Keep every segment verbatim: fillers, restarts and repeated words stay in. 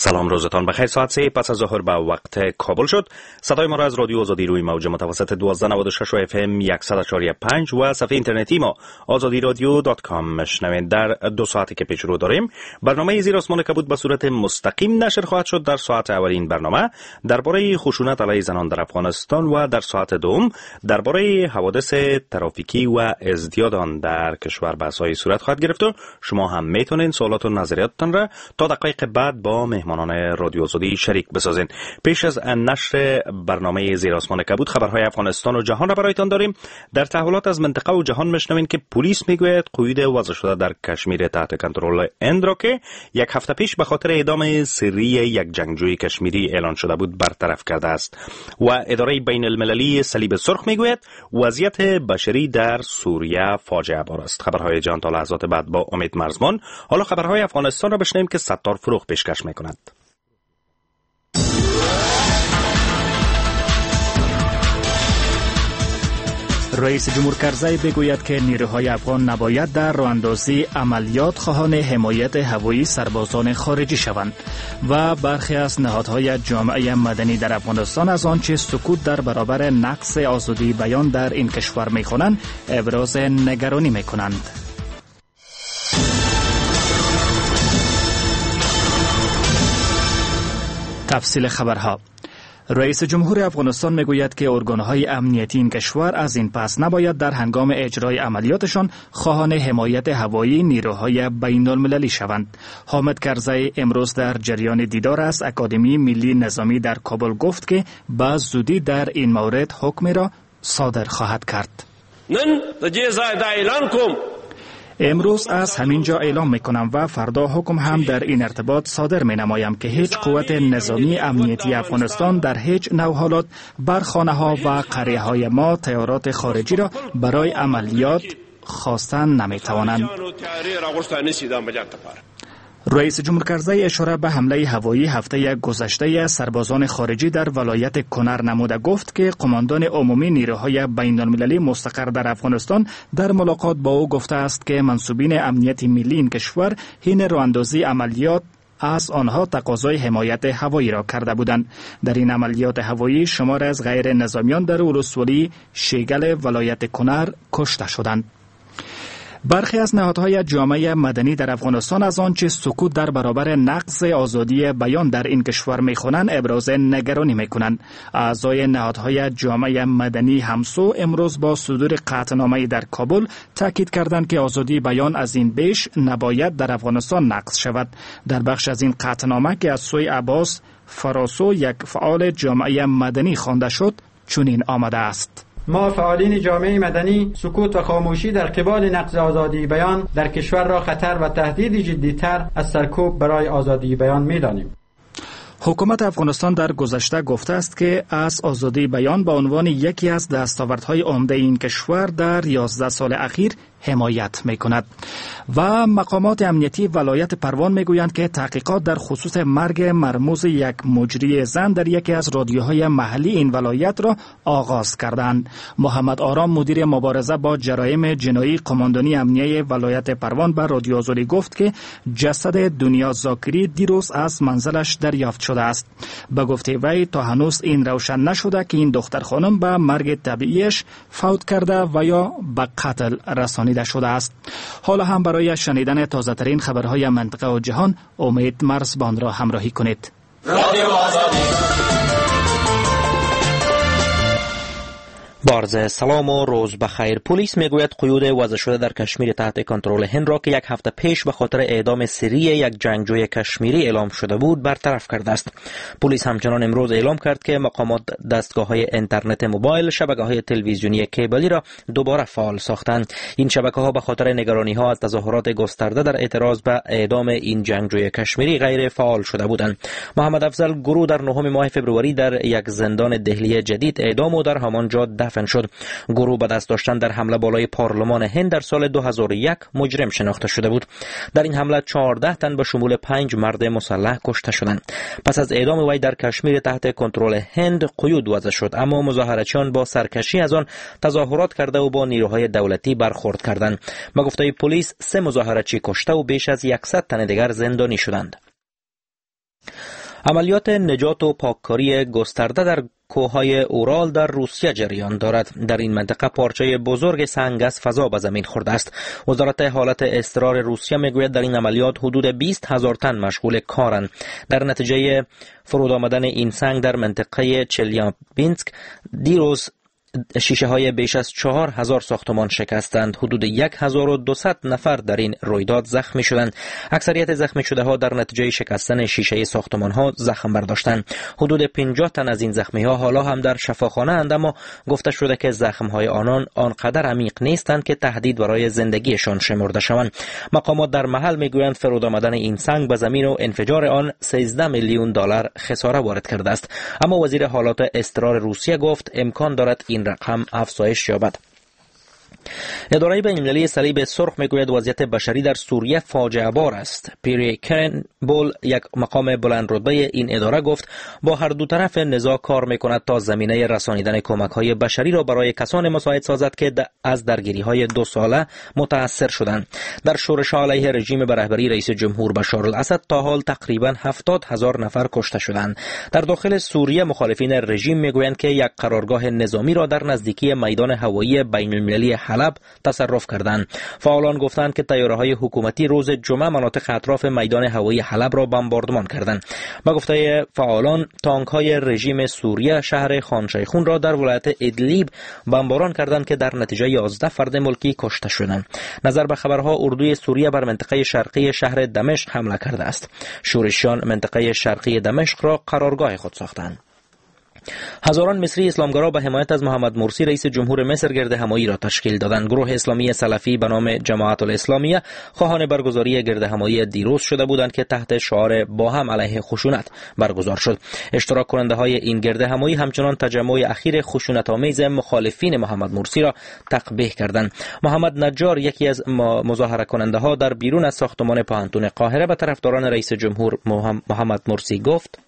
سلام، روزتان بخیر. ساعت سه پس از ظهر به وقت کابل شد. صدای ما را از رادیو آزادی روی موج متوسط دوازده نود و شش اف ام صد و چهار پنج و صفحه اینترنتی ما آزادی رادیو dot com میشنوید. در دو ساعتی که پیش رو داریم برنامه زیر آسمان کبود به صورت مستقیم نشر خواهد شد. در ساعت اول این برنامه درباره خشونت علیه زنان در افغانستان و در ساعت دوم درباره حوادث ترافیکی و ازدیاد آن در کشور بحث‌های صورت خواهد گرفت و شما هم میتونین سوالات و نظریاتتان را تا دقایق بعد با مهمانان رادیو آزادی شریک بسازین. پیش از نشر برنامه زیر آسمان کبود خبرهای افغانستان و جهان را برایتان داریم. در تحولات از منطقه و جهان میشنوین که پلیس میگوید قیود وضع شده در کشمیر تحت کنترل هند را که یک هفته پیش به خاطر اعدام سری یک جنگجوی کشمیری اعلان شده بود برطرف کرده است. و اداره بین المللی صلیب سرخ میگوید وضعیت بشری در سوریه فاجعه بار است. خبرهای جهان تا لحظات بعد با امید مرزمان. حالا خبرهای افغانستان را بشنویم که ستار فروغ پیشکش میکند. رئیس جمهور کرزی بگوید که نیروهای افغان نباید در راه اندازی عملیات خواهان حمایت هوایی سربازان خارجی شوند و برخی از نهادهای جامعه مدنی در افغانستان از آنچه سکوت در برابر نقص آزادی بیان در این کشور می‌کنند ابراز نگرانی می‌کنند. تفصیل خبرها. رئیس جمهور افغانستان میگوید که ارگانهای امنیتی این کشور از این پس نباید در هنگام اجرای عملیاتشان خواهان حمایت هوایی نیروهای بین المللی شوند. حامد کرزی امروز در جریان دیدار از اکادمی ملی نظامی در کابل گفت که به زودی در این مورد حکم را صادر خواهد کرد. امروز از همین جا اعلام میکنم و فردا حکم هم در این ارتباط صادر می نمایم که هیچ قوت نظامی امنیتی افغانستان در هیچ نوع حالات بر خانه ها و قریه های ما تیارات خارجی را برای عملیات خواستن نمی توانند. رئیس جمهور کرزی اشاره به حمله هوایی هفته گذشته سربازان خارجی در ولایت کنر نموده گفت که قماندان عمومی نیروهای بین المللی مستقر در افغانستان در ملاقات با او گفته است که منسوبین امنیت ملی این کشور حین راه اندازی عملیات از آنها تقاضای حمایت هوایی را کرده بودند. در این عملیات هوایی شمار از غیر نظامیان در ولسوالی شیگل ولایت کنر کشته شدند. برخی از نهادهای جامعه مدنی در افغانستان از آنچه سکوت در برابر نقض آزادی بیان در این کشور میخوانند ابراز نگرانی میکنند. اعضای نهادهای جامعه مدنی همسو امروز با صدور قطعنامه‌ای در کابل تاکید کردند که آزادی بیان از این بیش نباید در افغانستان نقض شود. در بخش از این قطعنامه که از سوی عباس فراسو یک فعال جامعه مدنی خوانده شد چنین آمده است: ما فعالین جامعه مدنی سکوت و خاموشی در قبال نقض آزادی بیان در کشور را خطر و تهدید جدی‌تر از سرکوب برای آزادی بیان می‌دانیم. حکومت افغانستان در گذشته گفته است که از آزادی بیان به عنوان یکی از دستاوردهای عمده این کشور در یازده سال اخیر حمایت می کند. و مقامات امنیتی ولایت پروان می گویند که تحقیقات در خصوص مرگ مرموز یک مجری زن در یکی از رادیوهای محلی این ولایت را آغاز کردند. محمد آرام مدیر مبارزه با جرایم جنایی قماندانی امنیه ولایت پروان به رادیو آزادی گفت که جسد دنیا زاکری دیروز از منزلش دریافت شده است. به گفته وی تا هنوز این روشن نشده که این دختر خانم به مرگ طبیعیش فوت کرده و یا به قتل رسانیده شده است. حالا هم برای شنیدن تازه ترین خبرهای منطقه و جهان امید مرزبان را همراهی کنید. رادیو آزادی. بارز سلام و روز بخیر. پلیس میگوید قیود وضع شده در کشمیر تحت کنترل هند را که یک هفته پیش به خاطر اعدام سری یک جنگجوی کشمیری اعلام شده بود برطرف کرده است. پلیس همچنان امروز اعلام کرد که مقامات دستگاه‌های اینترنت موبایل، شبکه‌های تلویزیونی کیبلی را دوباره فعال ساختند. این شبکه‌ها به خاطر نگرانی‌ها از تظاهرات گسترده در اعتراض به اعدام این جنگجوی کشمیری غیر فعال شده بودند. محمد افضل گروه در نهم ماه فبروری در یک زندان دهلی جدید اعدام و در همانجا دفن شد. گروه به دست داشتن در حمله بالای پارلمان هند در سال دو هزار و یک مجرم شناخته شده بود. در این حمله چهارده تن به شمول پنج مرد مسلح کشته شدند. پس از اعدام وی در کشمیر تحت کنترل هند قیود وضع شد، اما مظاهره‌چیان با سرکشی از آن تظاهرات کرده و با نیروهای دولتی برخورد کردند. به گفته پلیس سه مظاهره‌چی کشته و بیش از صد تن دیگر زندانی شدند. عملیات نجات و پاککاری گسترده در کوههای اورال در روسیه جریان دارد. در این منطقه پارچه بزرگ سنگ از فضا به زمین خورده است. وزارت حالت اضطرار روسیه میگوید در این عملیات حدود بیست هزار تن مشغول کارند. در نتیجه فرود آمدن این سنگ در منطقه چلیابینسک دیروز شیشه های بیش از چهار هزار ساختمان شکستند. حدود یک هزار و دویست نفر در این رویداد زخمی شدند. اکثریت زخمی شده ها در نتیجه شکستن شیشه ساختمان ها زخم برداشتند. حدود پنجاه تن از این زخمی ها حالا هم در شفاخانه اند، اما گفته شده که زخم های آنان آنقدر عمیق نیستند که تهدید برای زندگیشان شمرده شوند. مقامات در محل میگویند فرود آمدن این سنگ به زمین و انفجار آن سیزده میلیون دلار خساره وارد کرده است. اما وزیر حالات اضطرار روسیه گفت امکان دارد این رقم افزایش یابد. اداره بین‌المللی صلیب سرخ میگوید وضعیت بشری در سوریه فاجعه بار است. پیری کرنبول، یک مقام بلند رتبه این اداره، گفت با هر دو طرف نزاع کار میکند تا زمینه رسانیدن کمک های بشری را برای کسان مساعد سازد که از درگیری های دو ساله متاثر شدند. در شورش علیه رژیم به رهبری رئیس جمهور بشار الاسد تا حال تقریبا هفتاد هزار نفر کشته شدند. در داخل سوریه مخالفین رژیم میگویند که یک قرارگاه نظامی را در نزدیکی میدان هوایی بین‌المللی حلب تصرف کردند. فعالان گفتند که طیاره‌های حکومتی روز جمعه مناطق اطراف میدان هوایی حلب را بمباردمان کردند. به گفته فعالان تانک‌های رژیم سوریه شهر خان شیخون را در ولایت ادلیب بمباران کردند که در نتیجه یازده فرد ملکی کشته شدند. نظر به خبرها اردوی سوریه بر منطقه شرقی شهر دمشق حمله کرده است. شورشیان منطقه شرقی دمشق را قرارگاه خود ساختند. هزاران مصری اسلامگرا به حمایت از محمد مرسی رئیس جمهور مصر گرد همایی را تشکیل دادند. گروه اسلامی سلفی به نام جماعت الاسلامیه خواهان برگزاری گرد همایی دیروز شده بودند که تحت شعار با هم علیه خشونت برگزار شد. اشتراک کننده های این گرد همایی همچنان تجمع اخیر خشونت آمیز مخالفین محمد مرسی را تقبیح کردند. محمد نجار، یکی از مظاهره کننده ها، در بیرون از ساختمان پوهنتون قاهره به طرفداران رئیس جمهور محمد مرسی گفت: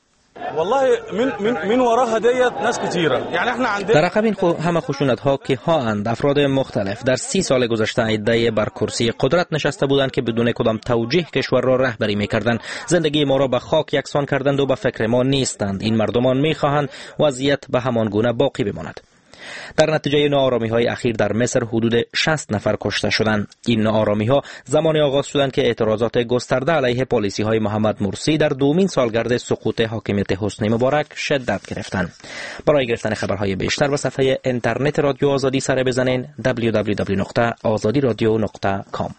والله من من من وراها ديت ناس كتيره، يعني احنا عندنا در عقب این خو همه خشونت ها که ها اند افراد مختلف در سی سال گذشته عده بر کرسی قدرت نشسته بودند که بدون کدام توجیه کشور را رهبری میکردند. زندگی ما را به خاک یکسان کردند و به فکر ما نیستند. این مردمان میخواهند وضعیت به همان گونه باقی بماند. در نتیجه ناآرامی های اخیر در مصر حدود شصت نفر کشته شدند. این ناآرامی ها زمانی آغاز شدند که اعتراضات گسترده علیه پالیسی های محمد مرسی در دومین سالگرد سقوط حاکمیت حسنی مبارک شدت گرفتند. برای گرفتن خبرهای بیشتر به صفحه اینترنت رادیو آزادی سر بزنین: دبلیو دبلیو دبلیو نقطه آزادی رادیو نقطه کام.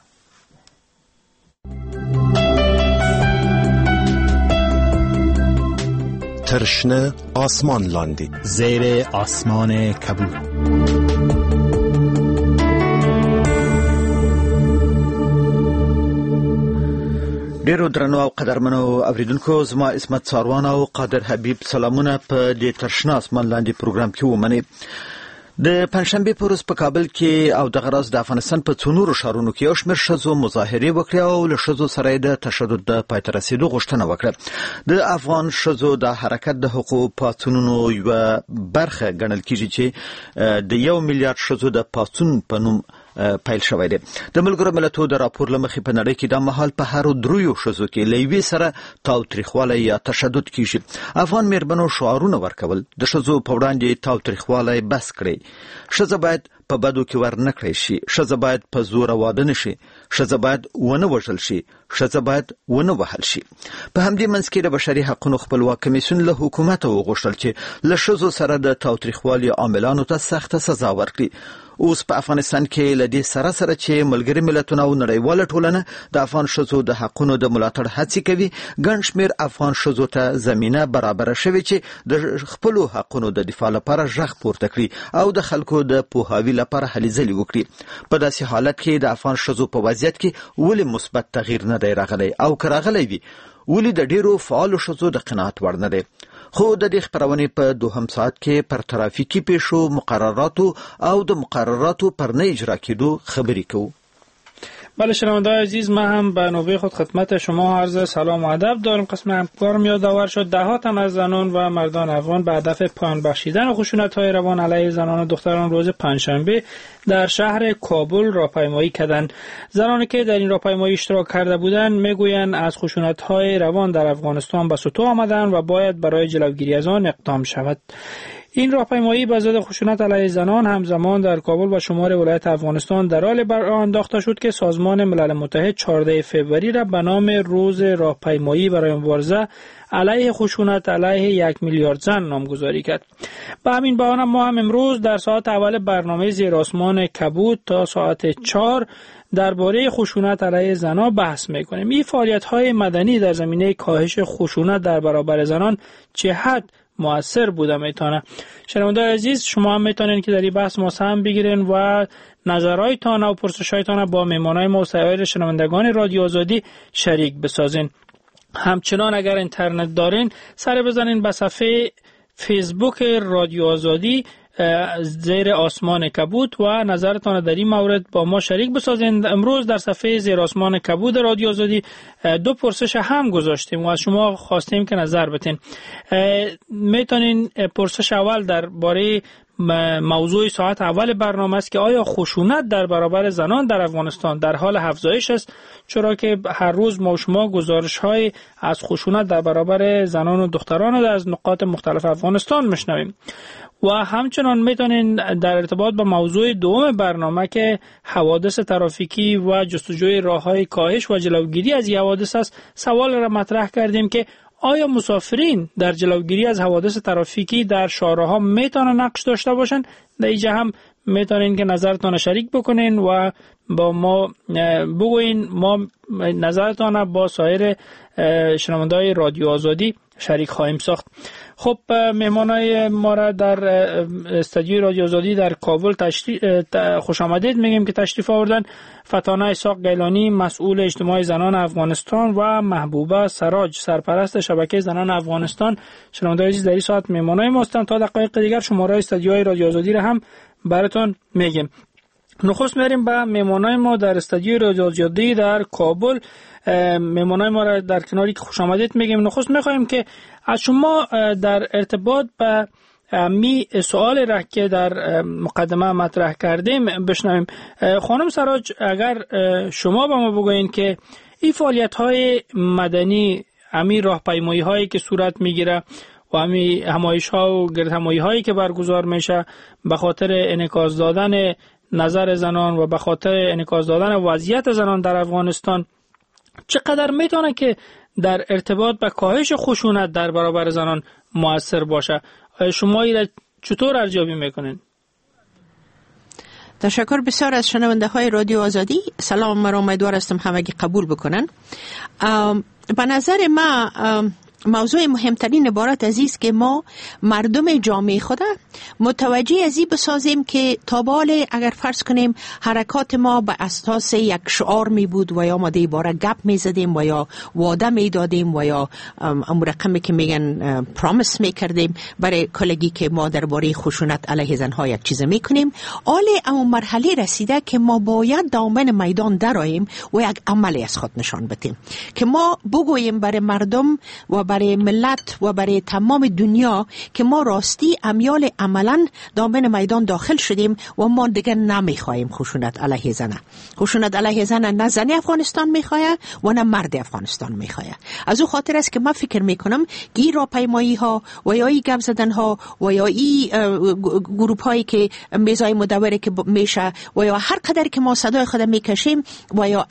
تر شنه آسمان لاندې، زیر آسمان کبود. ډیرو درنو او قدرمنو اوریدونکو، زما عصمت څاروان او قادر حبیب سلامونه په دې تر شنه آسمان لاندې پروګرام کې ومنئ. د پنجشنبې په ورځ په کابل کې او دغه راز د افغانستان په څو نورو ښارونو کې یو شمېر ښځو مظاهرې وکړې او له ښځو سره یې د تشدد د پای ته رسېدو غوښتنه وکړه. د افغان ښځو د حرکت د حقوقو پاڅونونو یوه برخه ګڼل کیږي چې د یو میلیارد ښځو د پاڅون په نوم پیل شوی دی. د ملګرو ملتونو د راپور له مخې په نړۍ کې دا مهال په هرو دریو ښځو کې له یوې سره تاوتریخوالی یا تشدد کیږي. افغان میرمنو شعارونه ورکول: د ښځو په وړاندې تاوتریخوالی بس کړئ، ښځه باید په بدو کې ور نه کړی شي، ښځه باید په زوره واده نه شي، ښځه باید ونه وژل شي، ښځه باید ونه وهل شي. په همدې منځ کې د بشري حقونو خپلواک کمیسیون له حکومته وغوښتل چې له ښځو سره د تاوتریخوالي عاملانو ته سخته سزا ورکړي. اوس په افغانستان کې له دې سره سره چې ملګري ملتونه او نړیواله ټولنه د افغان ښځو د حقونو د ملاتړ هڅې کوي، ګڼ شمېر افغان ښځو ته زمینه برابره شوې چې د خپلو حقونو د دفاع لپاره غږ پورته کړي او د خلکو د پوهاوي لپاره هلې ځلې وکړي. په داسې حالت کې د افغان ښځو په وضعیت کې ولې مثبت تغییر نه دی راغلی او که راغلی وي ولې د ډیرو فعالو ښځو د قناعت وړ نه دی؟ خو د دې خپرونې په دوهم ساعت کې پر ترافیکي پیښو، مقرراتو او د مقرراتو پر نه اجرا کېدو خبرې کوو. بله شنونده‌های عزیز، من هم به نوبه خود خدمت شما عرض سلام و ادب دارم. قسم همکارم یادآور شد ده تن از زنان و مردان افغان به هدف پایان بخشیدن خشونت‌های روان علیه زنان و دختران روز پنجشنبه در شهر کابل راهپیمایی کردند. زنانی که در این راهپیمایی اشتراک کرده بودند میگویند از خشونت‌های روان در افغانستان به ستوه آمدند و باید برای جلوگیری از آن اقدام شود. این راهپیمایی به ضد خشونت علیه زنان همزمان در کابل و شمار ولایت افغانستان در حال بر انداخته شد که سازمان ملل متحد چهاردهم فوریه را به نام روز راهپیمایی برای مبارزه علیه خشونت علیه یک میلیارد زن نامگذاری کرد. به همین بهانه ما هم امروز در ساعت اول برنامه زیر آسمان کبود تا ساعت چهار درباره خشونت علیه زنان بحث میکنیم. این فعالیت‌های مدنی در زمینه کاهش خشونت در برابر زنان چه حد مؤثر بوده میتونه؟ شنونده‌های عزیز، شما هم میتونین که در این بحث ما سهم بگیرین و نظرهایتان و پرسش‌هایتان با مهمانای ما و سایر شنوندگان رادیو آزادی شریک بسازین. همچنان اگر اینترنت دارین سر بزنین به صفحه فیسبوک رادیو آزادی زیر آسمان کبود و نظرتان در این مورد با ما شریک بسازین. امروز در صفحه زیر آسمان کبود رادیو آزادی دو پرسش هم گذاشتیم و از شما خواستیم که نظر بتین. میتونین پرسش اول درباره موضوع ساعت اول برنامه است که آیا خشونت در برابر زنان در افغانستان در حال افزایش است؟ چرا که هر روز ما شما گزارش های از خشونت در برابر زنان و دختران از نقاط مختلف افغانستان میشنویم. و همچنان میتونین در ارتباط با موضوع دوم برنامه که حوادث ترافیکی و جستجوی راه‌های کاهش و جلوگیری از این حوادث است سوال را مطرح کردیم که آیا مسافرین در جلوگیری از حوادث ترافیکی در شهرها میتونن نقش داشته باشن؟ در اینجا هم میتونین که نظرتان شریک بکنین و با ما بگوین، ما نظرتان با سایر شنونده‌های رادیو آزادی شریک خواهیم ساخت. خب مهمانای ما را در استودیوی رادیو آزادی در کابل تشریف خوش آمدید میگیم که تشریف آوردن. فتانه اسحاق گیلانی مسئول اجتماع زنان افغانستان و محبوبه سراج سرپرست شبکه زنان افغانستان. شنونده‌های عزیز در این ساعت مهمانای ما هستند. تا دقایق دیگر شماره استودیوی رادیو آزادی را هم براتون میگیم. نخست میریم به مهمانای ما در استودیوی رادیو آزادی در کابل. مهمانای ما را در کناری که خوش آمدید میگیم. نخست میخوایم که از شما در ارتباط به می سوال را که در مقدمه مطرح کردیم بشنویم. خانم سراج، اگر شما به ما بگویین که این فعالیت های مدنی، امی راهپیمایی هایی که صورت میگیره و امی همایش ها و گرد همایی هایی که برگزار میشه به خاطر انعکاس دادن نظر زنان و به خاطر انعکاس دادن وضعیت زنان در افغانستان، چقدر میتونه که در ارتباط به کاهش خشونت در برابر زنان مؤثر باشه؟ شما این چطور ارزیابی میکنین؟ تشکر بسیار از شنونده های رادیو آزادی. سلام مرا امیدوار هستم همگی قبول بکنن. به نظر ما موضوع مهمترین عبارت از است که ما مردم جامعه خود متوجه از این بسازیم که تا به اگر فرض کنیم حرکات ما به اساس یک شعار می بود و یا ما در باره گپ می زدیم و یا وعده می دادیم و یا امر رقمی که میگن پرامیس می کردیم برای کلگی که ما درباره خشونت علیه زنها یک چیز می کنیم، حال اون مرحله رسیده که ما باید دامن میدان درآییم و یک عملی از خود نشان بدیم که ما بگوییم برای مردم و برای ملت و برای تمام دنیا که ما راستی امیال عملا دامن میدان داخل شدیم و ما دیگه نمیخواهیم خشونت علیه زنه. خشونت علیه زنه نه زن افغانستان میخواه و نه مرد افغانستان میخواه. از او خاطر است که من فکر میکنم که این راهپیمایی ها و یا این گپ زدن ها و یا این گروپ هایی که میزای مدوره که میشه و یا هر قدر که ما صدای خود میکشیم و یا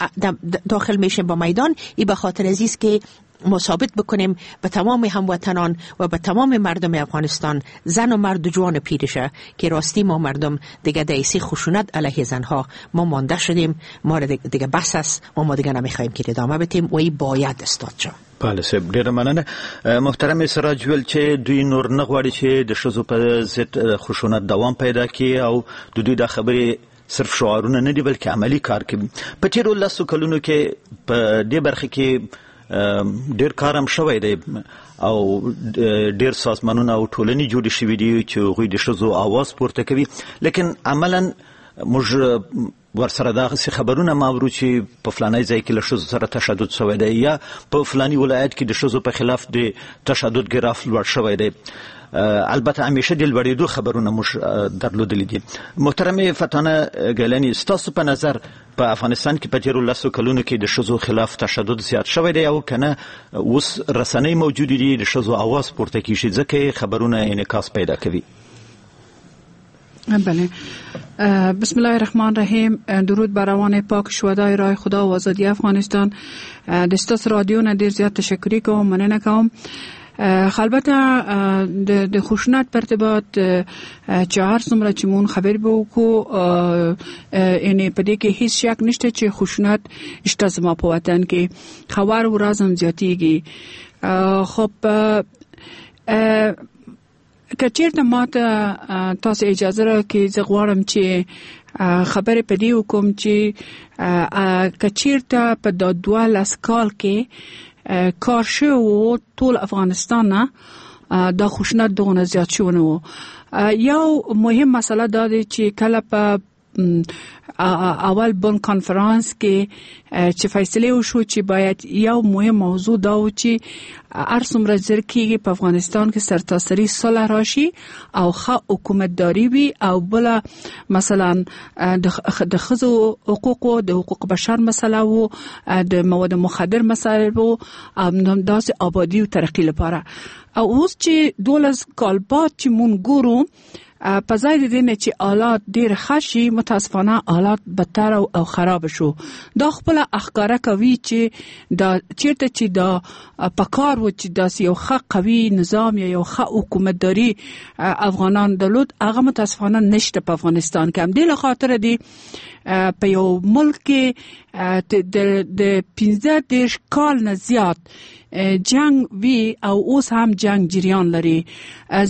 داخل میشیم با میدان، این به خاطر عزیز که ما ثابت بکنیم به تمام هموطنان و به تمام مردم افغانستان، زن و مرد و جوان پیرشه، که راستی ما مردم دیگه دیسی خشونت علیه زنها ما مانده شدیم، ما دیگه بس است و ما دیگه نمیخوایم که ادامه بدیم و این باید استاد شد. بله صاحب، ډیره مننه. محترم سراج ویل چې دوی نور نه غواړي چې د ښځو په ضد خشونت دوام پیدا کړي او د دوی دا خبرې صرف شعارونه نه دي بلکې عملي کار کوي. په تیرو لسو کلونو کې په دې برخه کې ډیر کار هم شوی دی او ډیر سازمانونه او ټولنې جوړې شوې دي چې هغوی د ښځو آواز پورته کوي، لیکن عملا موږ ورسره دغسې خبرونه ما اورو چې په فلاني ځای کې له ښځو سره تشدد شوی دی یا په فلاني ولایت کې د ښځو په خلاف د تشدد ګراف لوړ شوی دی. البته همیشه د لوړېدو خبرونه موږ درلودلي دي. محترمې فتانه ګیلاني، ستاسو په نظر په افغانستان کې په تېرو لسو کلونو کې د ښځو خلاف تشدد زیات شوی دی او که نه اوس رسنۍ موجودې دي د ښځو اواز پورته کیږي ځکه خبرونه انعکاس پیدا کوي؟ بله. بسم الله الرحمن الرحیم. درود بر روان پاک شهدای راه خدا و آزادی افغانستان. د ستاسو رادیو نه ډیر زیات تشکر کوم، مننه کوم. البته د خشونت پر ارتباط چې هر څومره چې مون خبر به وکړو، یعنی په دې کې هیڅ شک نشته چې خشونت شته زما په وطن کې، خبر ورځ هم زیاتیږي. خب که چیرته ما ته تاسو اجازه راکړئ، زه غواړم چې خبرې په دې وکړم چې که چیرته په دا دوه لس کال کې کار شوی و ټول افغانستان نه دا خشونت دغونه زیات شوی نه و. یو مهم مسله دا دی چې کله په اول بن کنفرانس کې چې فیصله وشو چې باید یو مهم موضوع دا و چې هر څومره زر کېږي په افغانستان کې سرتاسري صلح راشي او ښه حکومتداري وي، او بله مثلا د ښځو حقوق، د حقوق بشر مسله و، د مواد مخدر مسله و، داسې آبادي او ترقي لپاره. او اوس چې دولس کال بعد چې مونږ ګورو، په ځای د دې نه چې حالات ډیر ښه شي، متاسفانه حالات بدتر او خراب شو. دا خپله ښکاره کوي چې دا چیرته چې دا پکار و چې داسې یو ښه قوي نظام یا یو ښه حکومتداري افغانان درلود، هغه متاسفانه نشته په افغانستان کې. همدې له خاطره دی په یو ملک کې د پنځه دېرش کال نه زیات جنگ وی او اوس هم جنگ جریان لري.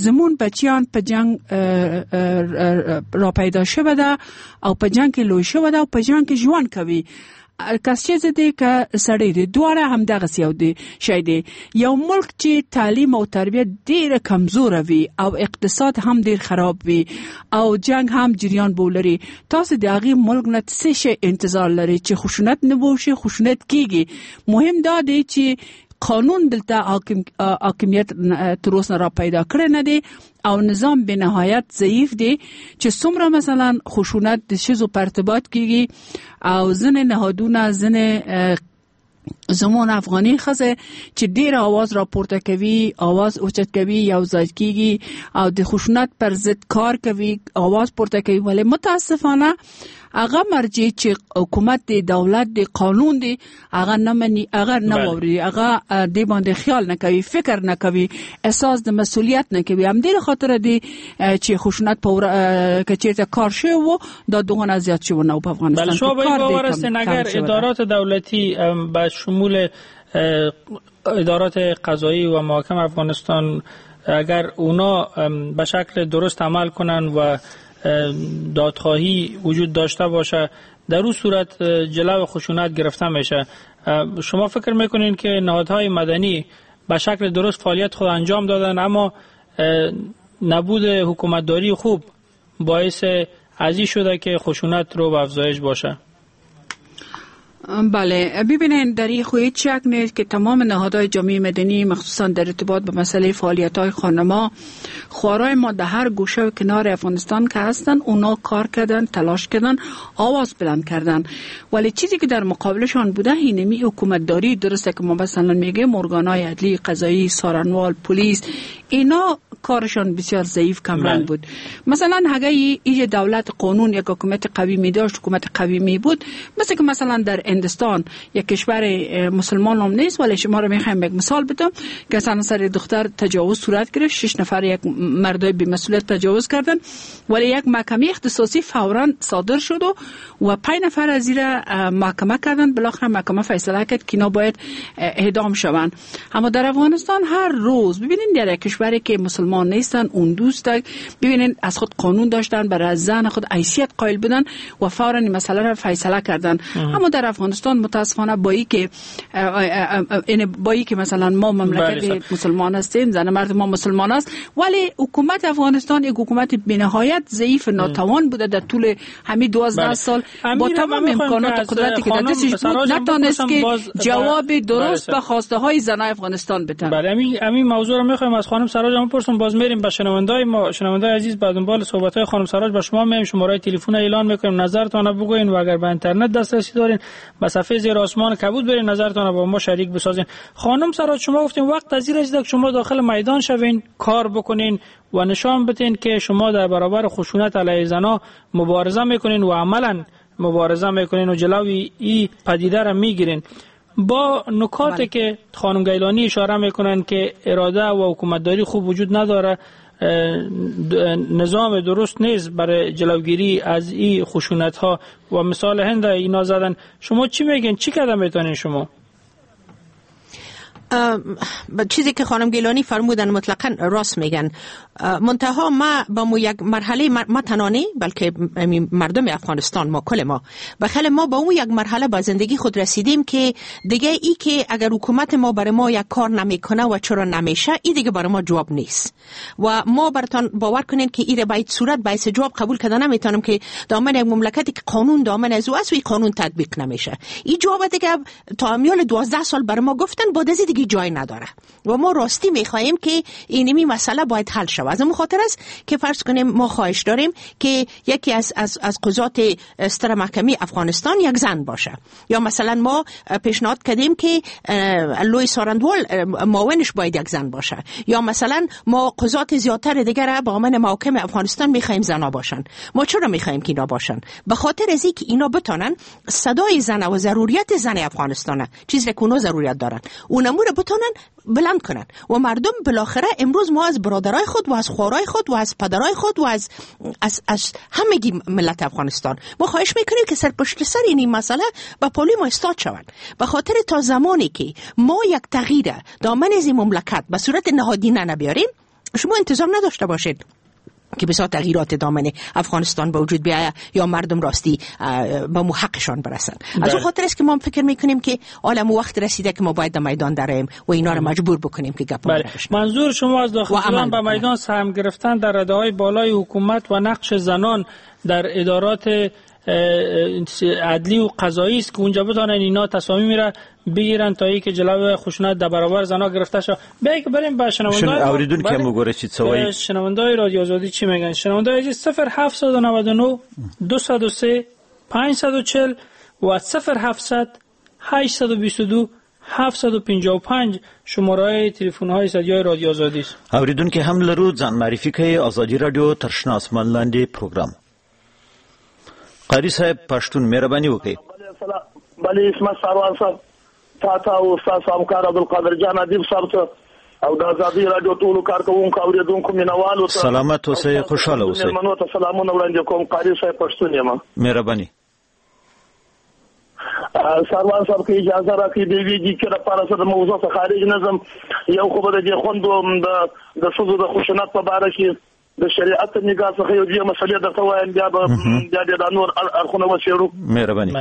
زمون بچیان په جنگ را پیدا شوه ده او په جنگ کې لوی شوه ده او په جنگ کې ژوند کوي. کس چې دی که سړی دی، دواړه هم دغسې یو دی شی دی. یو ملک چې تعلیم او تربیت ډیره کمزوره وي او اقتصاد هم ډیر خراب وي او جنگ هم جریان بولري، تاسو د هغې ملک نه څه شی انتظار لرئ چې خشونت نه وشي؟ خشونت کیږي. مهم دا دی چې قانون دلته حاکم حاکمیت تر اوسه را پیدا کړی نه دی او نظام به نهایت ضعیف دی چې څومره مثلا خشونت د ښځو په ارتباط کیږي او ځینې نهادونه، ځینې زمون افغاني ښځه چې ډیر आवाज راپورته کوي، आवाज اوچت کوي، یو ځای کیږي او د خشونت پر ضد کار کوي، आवाज پورته کوي، ولی متاسفانه هغه مرجع چې حکومت دی، دولت دی، قانون دی، هغه نه مني، هغه نه اوري، هغه دې باندې خیال نه کوي، فکر نه کوي، احساس د مسولیت نه کوي. همدې خاطر دی چې خشونت په که چیرته کار شوی و دا دغه زیات شوی نه په افغانستان. بله، شما به این باور هستین اگر ادارات دولتی به شمول ادارات قضایی و محاکم افغانستان اگر اونا به شکل درست عمل کنن و دادخواهی وجود داشته باشه، در اون صورت جلو خشونت گرفته میشه. شما فکر میکنین که نهادهای مدنی به شکل درست فعالیت خود انجام دادن، اما نبود حکومتداری خوب باعث ازی شده که خشونت رو به افزایش باشه؟ بله، ببینین در این خو هیچ شک نیست که تمام نهادهای جامعه مدنی مخصوصا در ارتباط به مسئله فعالیت‌های خانم‌ها، خوارای ما در هر گوشه و کنار افغانستان که هستن، اونا کار کردن، تلاش کردن، آواز بلند کردن، ولی چیزی که در مقابلشان بوده اینمی حکومتداری درسته که ما مثلا میگیم ارگان‌های عدلی، قضایی، سارنوال، پلیس، اینا کارشان بسیار ضعیف کمرنگ بود. مثلا اگه ایج دولت قانون یک حکومت قوی می داشت، حکومت قوی می بود، مثل که مثلا در هندوستان یک کشور مسلمان هم نیست، ولی شما رو میخوایم یک مثال بدم که مثلا سر دختر تجاوز صورت گرفت، شش نفر یک مردای بی مسئولیت تجاوز کردن، ولی یک محکمه اختصاصی فورا صادر شد و و پنج نفر از زیر محکمه کردن، بالاخره محکمه فیصله کرد که اینا باید اعدام شوند. اما در افغانستان هر روز ببینید در یک کشور کشوری که مسلمان نیستن اون دوست ببینین از خود قانون داشتن، برای زن خود حیثیت قائل بودن و فوراً این مسئله را فیصله کردن. اما در افغانستان متاسفانه با ای که با ای که مثلا ما مملکت مسلمان هستیم، زن مرد ما مسلمان است، ولی حکومت افغانستان یک حکومت بی‌نهایت ضعیف ناتوان بوده در طول همین دوازده سال با تمام امکانات و قدرتی که در دستش بود نتونست که جواب درست به خواسته های زنای افغانستان بده. بله، همین همین موضوع رو می‌خوایم از خانم سراج هم بپرسم. باز میریم به شنوندای ما، شنوندای عزیز به دنبال صحبت های خانم سراج با شما میایم، شماره تلفن اعلان می‌کنیم، نظرتون رو بگوین و اگر به اینترنت دسترسی دارین به صفحه زیر آسمان کبود برین، نظرتون رو با ما شریک بسازین. خانم سراج، شما گفتین وقت از این رسیده که شما داخل میدان شوین، کار بکنین و نشان بدین که شما در برابر خشونت علیه زنا مبارزه میکنین و عملا مبارزه میکنین و جلوی این پدیده را میگیرین. با نکاتی که خانم گیلانی اشاره میکنن که اراده و حکومتداری خوب وجود نداره، نظام درست نیست برای جلوگیری از این خشونت ها و مثال هند اینا زدن، شما چی میگین؟ چی کردن میتونین شما؟ چیزی که خانم گیلانی فرمودن مطلقاً راست میگن. منتها ما با مو یک مرحله ما تنها بلکه مردم افغانستان ما کل ما بخل ما با اون یک مرحله با زندگی خود رسیدیم که دیگه ای که اگر حکومت ما برای ما یک کار نمیکنه و چرا نمیشه، ای دیگه برای ما جواب نیست و ما براتون باور کنین که ایره باید صورت باعث جواب قبول کردن نمیتونم که دامن یک مملکتی که قانون دامن از او است و این قانون تطبیق نمیشه. این جواب دیگه تا امیال دوازده سال برای ما گفتن، بعد از دیگه جای نداره و ما راستی میخواهیم که اینمی مسئله باید حل شود. از اون خاطر است که فرض کنیم ما خواهش داریم که یکی از از از قضات ستره محکمه افغانستان یک زن باشه، یا مثلا ما پیشنهاد کردیم که لوی سارندوال معاونش باید یک زن باشه، یا مثلا ما قضات زیادتر دیگر با من محاکم افغانستان میخواهیم زنا باشن. ما چرا میخواهیم که اینا باشن؟ به خاطر از اینکه اینا بتونن صدای زن و ضروریت زن افغانستان، چیزی که اونا ضروریت دارن، اونمو رو بتونن بلند کنن و مردم بالاخره امروز ما از برادرای خود و از خوارای خود و از پدرای خود و از از از همگی ملت افغانستان ما خواهش میکنیم که سر پشت سر این مسئله با پالی ما استاد شوند، به خاطر تا زمانی که ما یک تغییر دامن از این مملکت به صورت نهادینه نبیاریم، شما انتظار نداشته باشید که بسیار تغییرات دامن افغانستان به وجود بیاید یا مردم راستی به حقشان برسن. از اون خاطر است که ما فکر میکنیم که عالم وقت رسیده که ما باید در میدان دریم و اینا رو مجبور بکنیم که گپ بله. منظور شما از داخل شدن به میدان سهم گرفتن در رده‌های بالای حکومت و نقش زنان در ادارات عدلی و قضایی است که اونجا بتونن اینا تصامیم را بگیرن تا اینکه جلو خشونت در برابر زنا گرفته شود. بیاید که بریم به شنوندای اوریدون که موګوري چې څه وایي. شنوندای رادیو آزادی چی میگن؟ شنوندای عزیز صفر هفت نه نه دو صفر سه پنج چهار و صفر هفت هشت دو دو هفت پنج پنج شماره تلفن های استودیوی رادیو آزادی است. اوریدون کې هم لرو ځان معرفي کوي. ازادي رادیو تر شنه اسمان لاندې پروګرام. قاری صاحب پښتون مهرباني وکړئ. بله اسمت ساروان صاحب، تا او استاد همکار عبدالقادر جان ادیب صاحب ته او د ازادي رادیو ټولو کارکوونکو اورېدونکو مینهوالو ته سلامت اوسئ، خوشحاله اوسئ. مېلمنو ته سلامونه وړاندې کوم. قاری صاحب پښتون یم. مهرباني. ساروان صاحب که اجازه راکړئ د یوې دقیقې لپاره زه د موضوع څخه خارج نه ځم. یو خو به د دې خوندو د ښځو د خشونت په باره کې د شریعت نگاه څخه یو دوې مسئلې درته وایم، بیا به بیا به دا نور اړخونه وڅېړو. مهرباني.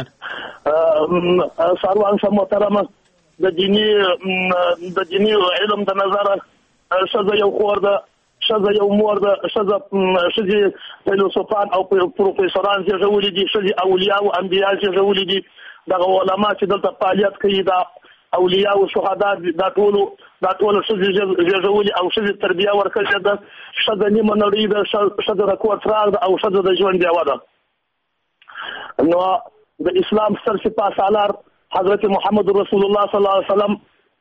ساروان صاحب محترمه، د دیني د دیني علم د نظره ښځه یو خور ده، ښځه یو مور ده، ښځه ښځې فیلسوفان او پروفیسوران زېږولي دي، ښځې اولیا او انبیا زېږولي دي. دغه علما چې دلته فعالیت کوي دا اولیا او شهدا دا ټولو دا ټول ښځې زېږولي او ښځې تربیه ورکړې ده. ښځه نیمه نړۍ ده، ښځه د کور څراغ ده او ښځه د ژوند ډېوه ده. نو د اسلام ستر سپاه سالار حضرت محمد رسول الله صلی الله علیه وسلم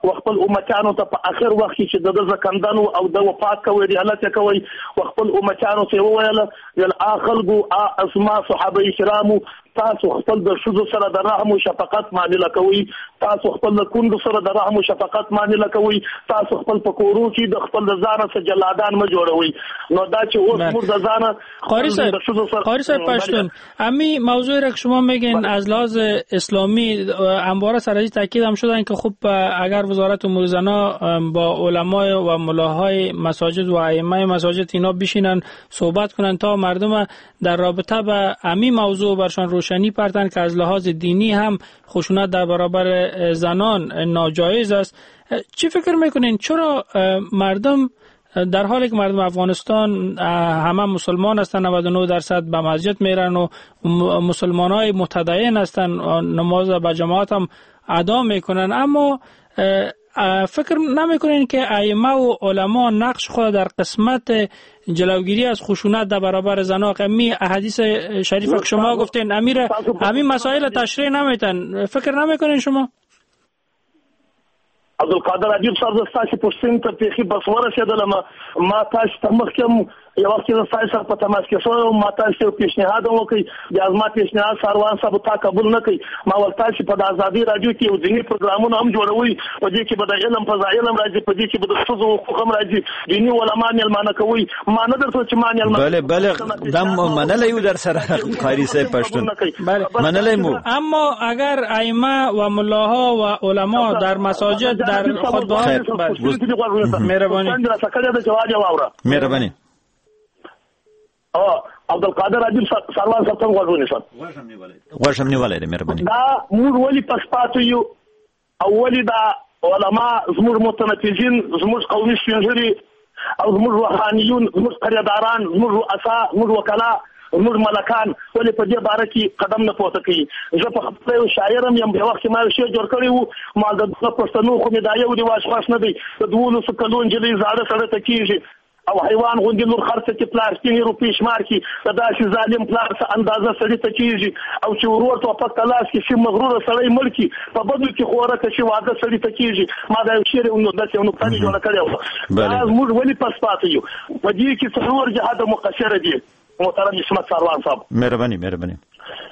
و خپل امتیانو ته په اخر وخت کې چې د ده زکندن او د وفات کوي رحلت یې کوي، و خپل امتیانو ته یې وویل ویل آ خلکو، آ زما صحابه کرامو، تاسو خپل د ښځو سره د رحم او شفقت معامله کوئ، تاسو خپل د کونډو سره د رحم او شفقت معامله کوئ، تاسو خپل په کورو کې د خپل د ځانه څخه جلادان مه جوړوئ. نو دا چې اوس موږ د ځانه قاری صاحب قاری صاحب پشتون، امی موضوع را که شما میگین از لحاظ اسلامی همواره سر از تاکید هم شدن که خب اگر وزارت امور زنا با علمای و ملاهای مساجد و ائمه مساجد اینا بشینن صحبت کنن تا مردم در رابطه با امی موضوع برشان روشنی پرتن که از لحاظ دینی هم خشونت در برابر زنان ناجایز است. چی فکر میکنین چرا مردم در حالی که مردم افغانستان همه مسلمان هستند، نود و نه درصد به مسجد میرن و مسلمان های متدین هستند، نماز به جماعت هم ادا میکنن، اما فکر نمیکنین که ائمه و علما نقش خود در قسمت جلوگیری از خشونت در برابر زنان، می احادیث شریف که شما گفتین امیر همین مسائل تشریح نمیتن، فکر نمیکنین شما؟ عبدالقادر عجیب صاحب، زه ستاسې پوښتنې ته بیخي بس ورسېدلم. ما تاسو ته مخکې هم یو وخت کې زه ستاسو سره په تماس کې شوی وم، ما تاسو ته یو پیشنهاد هم وکړ، بیا زما پیشنهاد ساروان صاحب تا قبول نه کړ. ما ول تاسو په د ازادي راډیو کې یو دیني پروګرامونه هم جوړوئ، په دې کې به د علم فضایل هم راځي، په دې کې به د ښځو حقوق هم راځي، دیني علما مېلمانه کوئ. ما نه درته چې ما مېلمانه بله بله دا منلی یو در سره قاری صاحب پشتون، منلی مو. اما اگر ائمه و ملاها و علما در مساجد در خطبه مهربانی مهربانی اه عبدالقادر عجیب سروان صاحب ته غوږ ونیسم، غوږ هم نیولی دی مهرباني. دا موږ ولې پس پاتې یو او ولې دا علما زموږ متنفذین، زموږ قومي سپینږیري او زموږ روحانیون، زموږ قریهداران، زموږ رؤسا، زموږ وکلا، زموږ ملکان ولې په دې باره کې قدم نه پورته کوي؟ زه په خپله یو شاعر هم یم، یو وخت کې ما یو شعر جوړ کړی و، ما د دوه پښتنو خو مې دا یو رواج خوښ نه دی، د دولسو کلو نجلۍ زاړه سړی ته کېږي او حیوان غوندې لور خرڅه کې پلار سپینې روپۍ شمار کړي، د داسې ظالم پلار څه اندازه سړي ته کېږي او چې ورور ټوپک ته لاس کړي شي مغروره سړی مړ کړي، په بدو کې خورکه شي واده سړي ته کېږي. ما دا یو شعر یو داسې یو نکته مې جوړه کړې وه. دا موږ ولې پس پاتې یو؟ په دې کې څلور جهاده مقصره دي محترم عصمت ساروان صاحب. مهرباني مهرباني.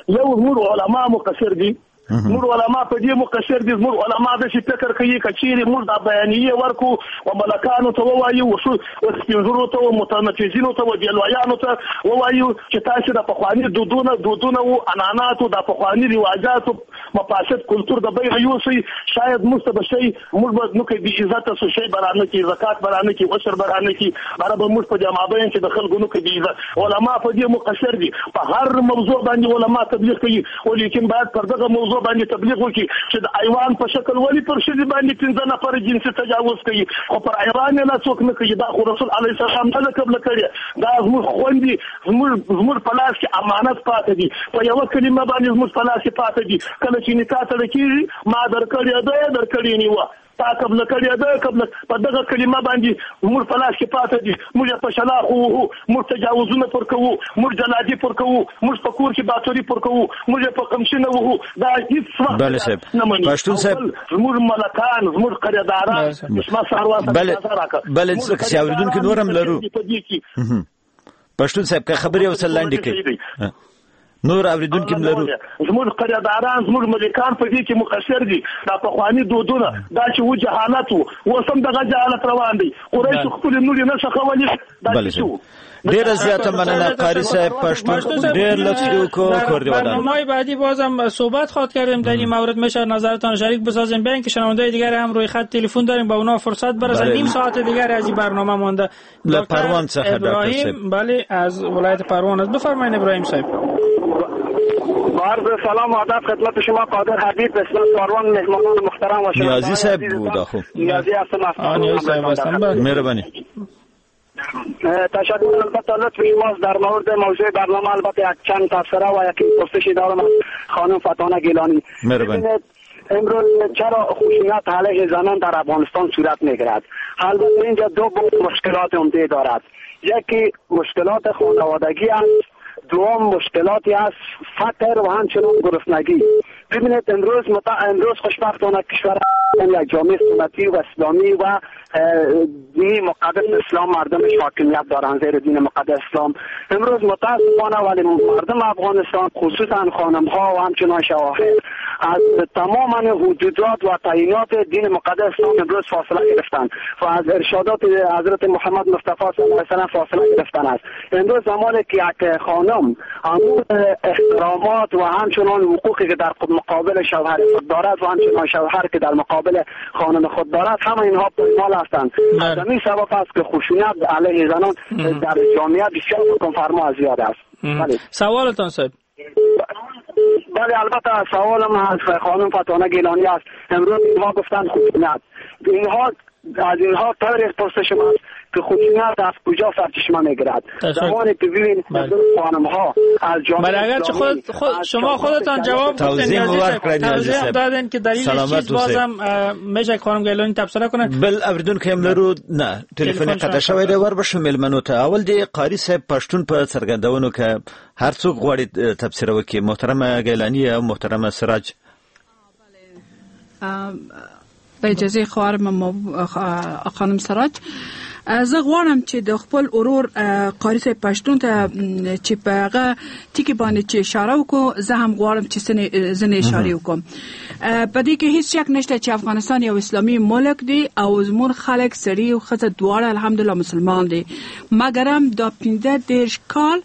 یو زموږ علما مقصر دي، موږ علما په دې مقصر دي، زموږ علما داسې فکر کوي که چیرې موږ دا بیانیې ورکړو و ملکانو ته ووایو، و سپینږیرو ته و متنفذینو ته و بېلویانو ته ووایو چې تاسې د پخواني دودونه دودونه و عنعناتو د پخواني رواجاتو مفاسد کلتور د بیغه یوسئ، شاید موږ ته به شی موږ به نو که بې عزته سو شی به رانه کړي، زکات به رانه کړي، عشر به رانه کړي، باره به موږ په دې مابین کې د خلکو نو که بې عزت. علما په دې مقصر دي، په هر موضوع باندې علما تبلیغ کوي، ولیکن باید پر دغه موضوع باندې تبلیغ وکړي چې د ایوان په شکل ولې پر ښځې باندې پنځه نفره جنسي تجاوز کوي، خو پر ایوان یې لا څوک نه کوي. دا خو رسول علیه السلام نه ده قبله کړې، دا زموږ خوندې زموږ زموږ په لاس کې امانت پاته دي، په یوه کلمه باندې زموږ په لاس کې پاته دي. کله چې نکاح تړل کېږي ما درکړې ده درکړې نیوه، تا قبله کړې ده قبله، په دغه کلمه باندې موږ په لاس کې پاته دي. موږ یې په شلاخو وهو، موږ تجاوزونه پر کوو، موږ جلادي پر کوو، موږ په کور کې باتوري پر کوو، موږ یې په قمچینه وهو. دا هیڅ وخت نه مني. پښتون صاحب زموږ ملکان، زموږ قریهداران، عصمت ساروان صاحب اجازه راکړه. بله څه اورېدونکي نور هم لرو. پښتون صاحب که خبرې یو څه لنډې کړئ، نور اوریدونکي هم لرو. زموږ قریهداران، زموږ ملکان په دې کې مقصر دي. دا پخواني دودونه، دا چې و جهالت وو، اوس هم دغه جهالت روان دی. قریشو خپلې نورې نه ښخولې، دا چې وو. ډیره زیاته مننه قاری صاحب پشتون، ډیر لطف دې وکړو، کور دې ودان. برنامه‌های بعدی بازم صحبت خواهد کردیم در این مورد، میشه نظرتان شریک بسازیم. بین که شنونده دیگر هم روی خط تلفن داریم، با اونا فرصت برسه. نیم ساعت دیگر از این برنامه مانده. له پروان څخه ډاکټر صاحب، بله از ولایت پروان است. بفرمایید ابراهیم صاحب. عرض سلام و ادب خدمت شما قادر حبیب، اسلام ساروان، مهمانان محترم و نیازی صاحب بود. خب نیازی هستم. نیازی صاحب هستم. مهربانی. تشکر. البته لطف شماست در مورد موضوع برنامه. البته یک چند تبصره و یک پرسشی دارم از خانم فتانه گیلانی. مهربانی. امروز چرا خشونت علیه زنان در افغانستان صورت میگیرد؟ البته اینجا دو مشکلات عمده دارد. یکی مشکلات خانوادگی است دوم مشکلاتی از فقر و همچنان گرسنگی. ببینید امروز مت... امروز خوشبختانه کشور یک جامعه سنتی و اسلامی و دین مقدس اسلام مردمش حاکمیت دارند زیر دین مقدس اسلام. امروز متاسفانه ولی مردم افغانستان خصوصا خانم ها و همچنان شواهد از تمام حدودات و تعیینات دین مقدس اسلام امروز فاصله گرفتند و از ارشادات حضرت محمد مصطفی صلی الله علیه و سلم فاصله گرفتن است. امروز زمانی که یک خانم امور احترامات و همچنان حقوقی که در مقابل شوهر خود دارد و همچنان شوهر که در مقابل خانم خود دارد، همه اینها پایمال هستند. از همین سبب است که خشونت علیه زنان در جامعه بسیار حکمفرما زیاد است. بله. سوالتان صاحب؟ بله البته سوالم از خانم فتانه گیلانی است. امروز اینها گفتند خشونت، اینها از اینها تاریخ پرسش است که خشونت از کجا سرچشمه میگیرد. زمانی که ببین خانم ها از جامعه، بله اگرچه خود, خود شما خودتان جواب گفتین، توضیح دادین که دلیلش چیست، بازم میشه خانم گیلانی تبصره کنه. بل اوریدونکی هم لرو نه تلیفون قطع شوی دی، ور به شو میلمنو ته. اول دی قاری صاحب پښتون په څرګندونو کې هر څوک غواړي تبصره وکړي. محترمه گیلانی او محترمه سراج. به اجازه خواهرم خانم سراج، زه غواړم چې د خپل ورور قاری صاحب پښتون ته چې په هغه ټکي باندې چې اشاره وکړو، زه هم غواړم چې ځینې اشارې وکړم. په دې کې هیڅ شک نشته چې افغانستان یو اسلامي ملک دی او زموږ خلک سړي او ښځه دواړه الحمدلله مسلمان دي، مګرم دا پنځه دېرش کال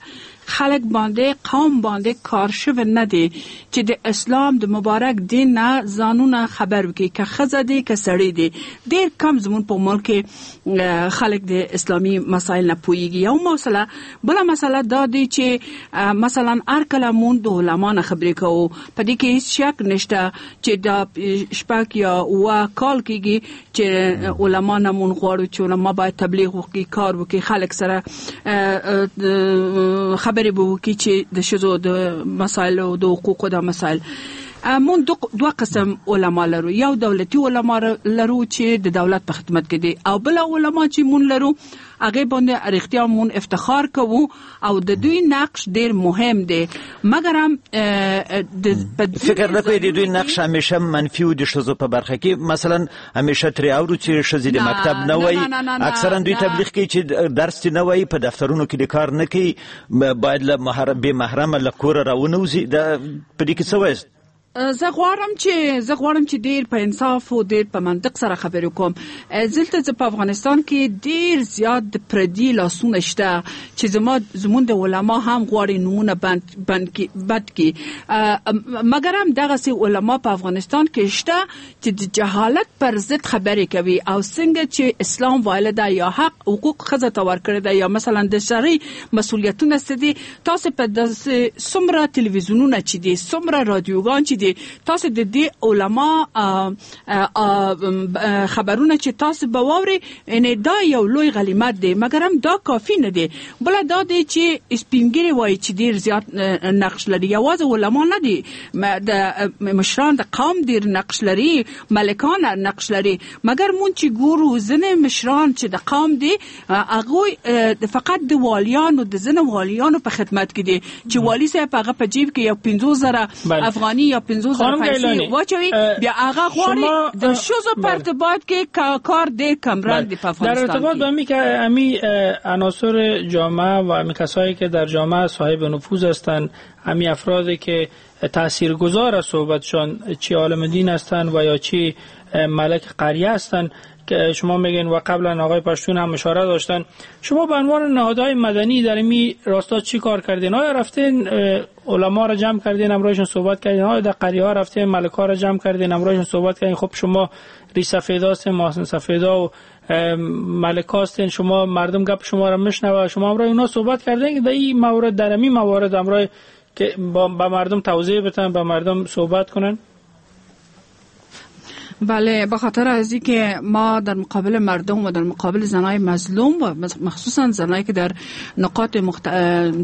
خلک باندې قوم باندې کار شوی نه دی چې د اسلام د مبارک دین نه ځانونه خبر وکړي، که ښځه دی که سړی دی. ډیر کم زموږ په ملک کې خلک د اسلامي مسایل نه پوهیږي. یو مسله، بله مسله دا دی چې مثلا هر کله مونږ د علما نه خبرې کوو، په دې کې هیڅ شک نشته چې دا شپږ یا اووه کال کېږي چې علما نه مونږ غواړو چې علما باید تبلیغ وکړي، کار وکړي، خلک سره خبرې به وکړي چې د ښځو د مسایل او د حقوقو د مسایل. مونږ دوه قسم علما لرو، یو دولتي علما لرو چې د دولت په خدمت کې دي، او بل علما چې مونږ لرو هغه باندې رښتیا مونږ افتخار کوو او د دوی نقش ډیر مهم دی. مګر هم فکر نه کوئ د دوی نقش همیشه منفي و د ښځو په برخه کې؟ مثلا همیشه ترې اورو چې ښځې د مکتب نه وایي، اکثرا دوی تبلیغ کوي چې درس نه وایي، په دفترونو کې د کار نه کوي، باید له محرم بې محرمه له کوره راونوځي. دا په دې کې څه وایاست؟ زه غواړم چې زه غواړم چې ډیر په انصاف او ډیر په منطق سره خبرې وکړم. دلته زه په افغانستان کې ډیر زیات د پردي لاسونه شته چې زما زمونږ د علما هم غواړي نومونه بند بند کی بد کی، مګر هم دغسې علما په افغانستان کې شته چې د جهالت پر ضد خبرې کوي او څنګه چې اسلام ویلی ده یا حق حقوق ښځه ته ورکړی ده یا مثلا د شرعي مسولیتونه څه دي، تاسو په داسې څومره تلویزیونونه چې دي، څومره رادیوګان چې دي، تاسو د دې علما خبرونه چې تاسو به واورئ، یعنې دا یو لوی غلیمت دی، مګر هم دا کافي نه دی. بله دا دی چې سپین ږیري وایي چې ډیر زیات نقش لري، یوازې علما نه دي، د مشران د قوم ډیر نقش لري، ملکان نقش لري، مګر مونږ چې ګورو ځینې مشران چې د قوم دي هغوی فقط د والیانو د ځینو والیانو په خدمت کې دي چې والي صاحب هغه په جیب کې یو پنځوس زره افغاني یا پنځوس زره پیسې واچوي، بیا هغه غواړي د ښځو په ارتباط کې کار ډیر کمرنګ دی په افغانستان. در ارتباط با می که امی عناصر جامعه و امی کسایی که در جامعه صاحب نفوذ هستند، امی افرادی که تاثیرگذار از صحبتشان چی عالم دین هستند و یا چی ملک قریه هستند که شما میگین و قبلا آقای پشتون هم اشاره داشتن، شما به عنوان نهادهای مدنی در این راستا چی کار کردین؟ آیا رفتین علما را جمع کردین همراهشون صحبت کردین؟ آیا در قریه ها رفتین ملک ها را جمع کردین همراهشون صحبت کردین؟ خب شما ریش سفیدا هستین، محسن سفیدا و ملک هستین، شما مردم گپ شما را میشنوه، شما همراه اونا صحبت کردین که در این مورد در این موارد همراه که با مردم توضیح بدن، با مردم صحبت کنن؟ بله، به خاطر از اینکه ما در مقابل مردم و در مقابل زنای مظلوم و مخصوصا زنایی که در نقاط مخت...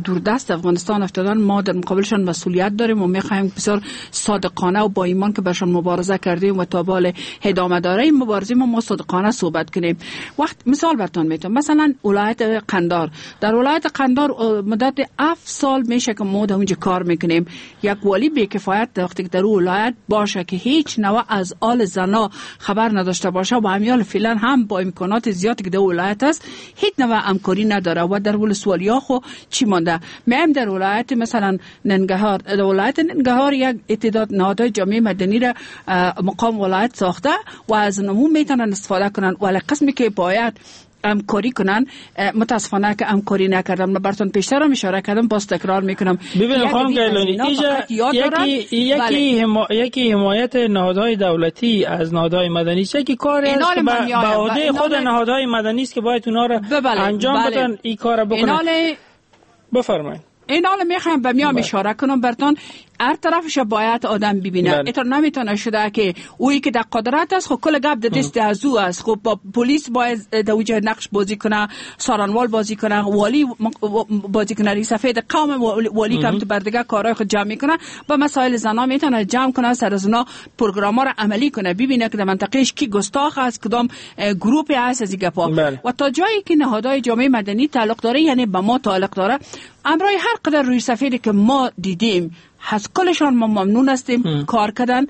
دوردست افغانستان افتادن، ما در مقابلشان مسئولیت داریم و میخوایم بسیار صادقانه و با ایمان که برشان مبارزه کردیم و تا به ادامه داره این مبارزه ما ما صادقانه صحبت کنیم. وقت مثال براتون میتونم، مثلا ولایت قندار، در ولایت قندار مدت هفت سال میشه که ما در اونجا کار میکنیم. یک والی بی‌کفایت وقتی که در ولایت باشه که هیچ نوع از آل زن خبر نداشته باشه و همیال فعلا هم با امکانات زیادی که در ولایت است هیچ نوع همکاری نداره و در ولسوالیا خو چی مانده. میم در ولایت مثلا ننگهار، در ولایت ننگهار یک تعداد نهادهای جامعه مدنی را مقام ولایت ساخته و از نمو میتونن استفاده کنن، ولی قسمی که باید همکاری کنن متاسفانه که همکاری نکردم. من براتون پیشتر هم اشاره کردم، باز تکرار میکنم. ببینید خانم گیلانی، یکی یکی حما... یکی حمایت نهادهای دولتی از نهادهای مدنی است، یکی کاری است که به عهده خود نهادهای مدنی است که باید اونا را انجام بدن، این کارا بکنن. بفرمایید. این حالا میخوایم به میام اشاره کنم براتون، هر طرفش باید آدم ببینه. اینطور نمیتونه شده که اویی که در قدرت است خب کل گپ در دست از او است، خب با پلیس باید در اوج نقش بازی کنه، سارنوال بازی کنه، والی بازی کنه، رئیس سفید قوم والی کم تو بردگه کارهای خود جمع میکنه، با مسائل زنا میتونه جمع کنه، سر از اونا پروگرام را عملی کنه، ببینه که در منطقهش کی گستاخ است، کدام گروپ است از این گپا. و تا جایی که نهادهای جامعه مدنی تعلق داره، یعنی به ما تعلق داره، امرای هر قدر روی سفیدی که ما دیدیم از کلشان ما ممنون هستیم. ام. کار کردن،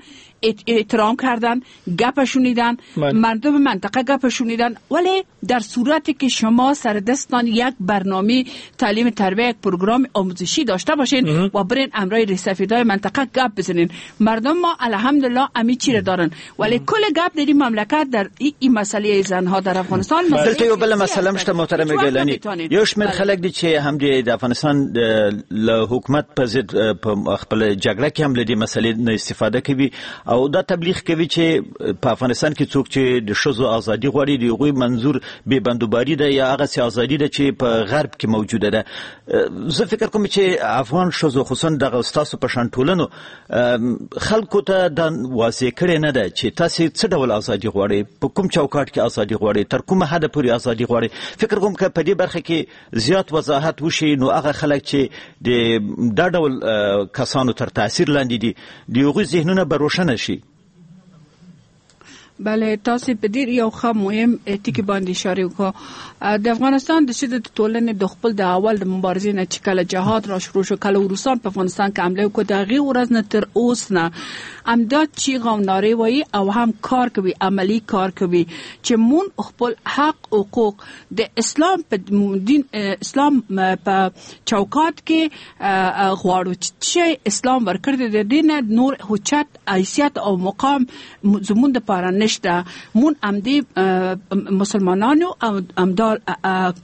احترام کردن، گپ شنیدن، مردم منطقه گپ شنیدن. ولی در صورتی که شما سر دستان یک برنامه تعلیم تربیت، یک پروگرام آموزشی داشته باشین و برین امرای ریسفیدای منطقه گپ بزنین، مردم ما الحمدلله امی چی را دارن. ولی کل گپ در این مملکت در این مسئله زنها در افغانستان دلته یو بل مسئله مشته محترم گیلانی، یو شمیر خلک دي چې هم د افغانستان له حکومت په ضد په خپل جګړه کې هم له دې مسئلې نه استفاده کوي او دا تبلیغ کوي چې په افغانستان کې څوک چې د ښځو ازادي غواړي د هغوی منظور بې بندوباري ده یا هغسې ازادي ده چې په غرب کې موجوده ده. زه فکر کوم چې افغان ښځو خصوصا دغه ستاسو په شان ټولنو خلکو ته دا واضح کړې نه ده چې تاسې څه ډول ازادي غواړئ، په کوم چوکاټ کې ازادي غواړئ، تر کومه حده پورې ازادي غواړئ. فکر کوم که په دې برخه کې زیات وضاحت وشي نو هغه خلک چې د دا ډول کسانو تر تاثیر لاندې دي د هغوی ذهنونه به روښانه شي. بله، تاسو په ډیر یو ښه مهم ټکی باندې اشاره وکړه. د افغانستان د شدت ټولنې د خپل د اول د مبارزې نه چې کله جهاد را شروع شو، کله روسان په افغانستان کې حمله وکړه، د هغې ورځ نه تر اوس نه همدا چیغه او نارې وایي او هم کار کوي، عملی کار کوي چې مون خپل حق حقوق د اسلام په دین، اسلام په چوکات کې غواړو چې اسلام ورکړ دی، د دین نور حجت حیثیت او مقام زمون د پاره نشته. مون امدی مسلمانانو او امدا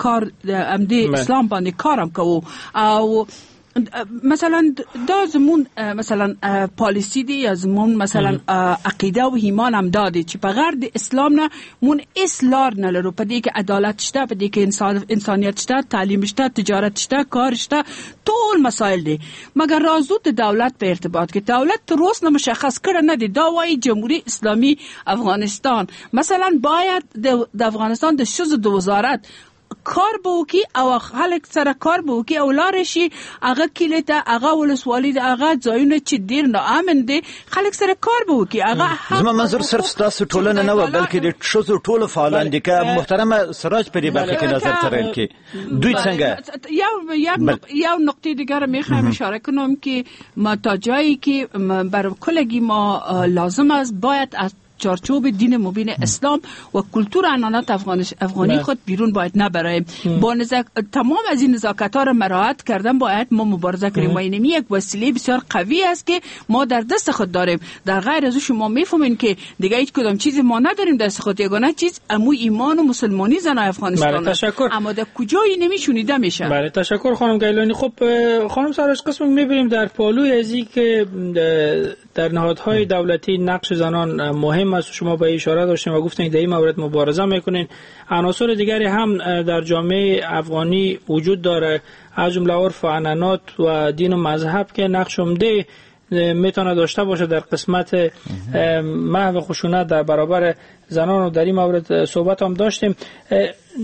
کار امدی اسلام باندې کارم کوو. او مثلا دا زمون مثلا پالیسی دی یا زمون مثلا عقیده او ایمان هم دادی چې په غیر د اسلام نه مون هیڅ لار نه لرو. په دې کې عدالت شته، په دې کې انسان انسانیت شته، تعلیم شته، تجارت شته، کار شته، ټول مسائل دي. مګر رازو د دولت په ارتباط کې دولت تر اوسه نه مشخص کړه نه دی. دا وایي جمهوری اسلامی افغانستان مثلا باید د افغانستان د ښځو د وزارت کار به وکړي او خلک سره کار به وکړي او لار شي هغه کلی ته، هغه ولسوالي ده، هغه ځایونه چې ډیر ناامن دي، خلک سره کار به وکړي. هغه زما منظور صرف ستاسو ټولنه نه وه بلکې د ښځو ټولو فعالان دي. که محترمه سراج په دې برخه کې نظر ترین کې دوی څنګه؟ یو یو نقطه دیگر میخوایم اشاره کنم که ما تا جایی که بر کلگی ما لازم است باید از چارچوب دین مبین اسلام و کلتور عنعنات افغانی خود بیرون باید نبریم. با نزاک... تمام از این نزاکت ها را مراعات کردن باید ما مبارزه کنیم و اینمی یک وسیله بسیار قوی است که ما در دست خود داریم. در غیر از او شما میفهمین که دیگه هیچ کدام چیزی ما نداریم دست خود، یگانه چیز امو ایمان و مسلمانی زنای افغانستان است. اما در کجایی نمیشونیده میشه. بله تشکر خانم گیلانی. خب خانم سراج، قسم میبینیم در پالوی ازی که در نهادهای دولتی نقش زنان مهم است، شما به اشاره داشتین و گفتین در این مورد مبارزه میکنین، عناصر دیگری هم در جامعه افغانی وجود داره، از جمله عرف و عنعنات و دین و مذهب که نقش عمده میتونه داشته باشه در قسمت محو خشونت در برابر زنان و در این مورد صحبت هم داشتیم.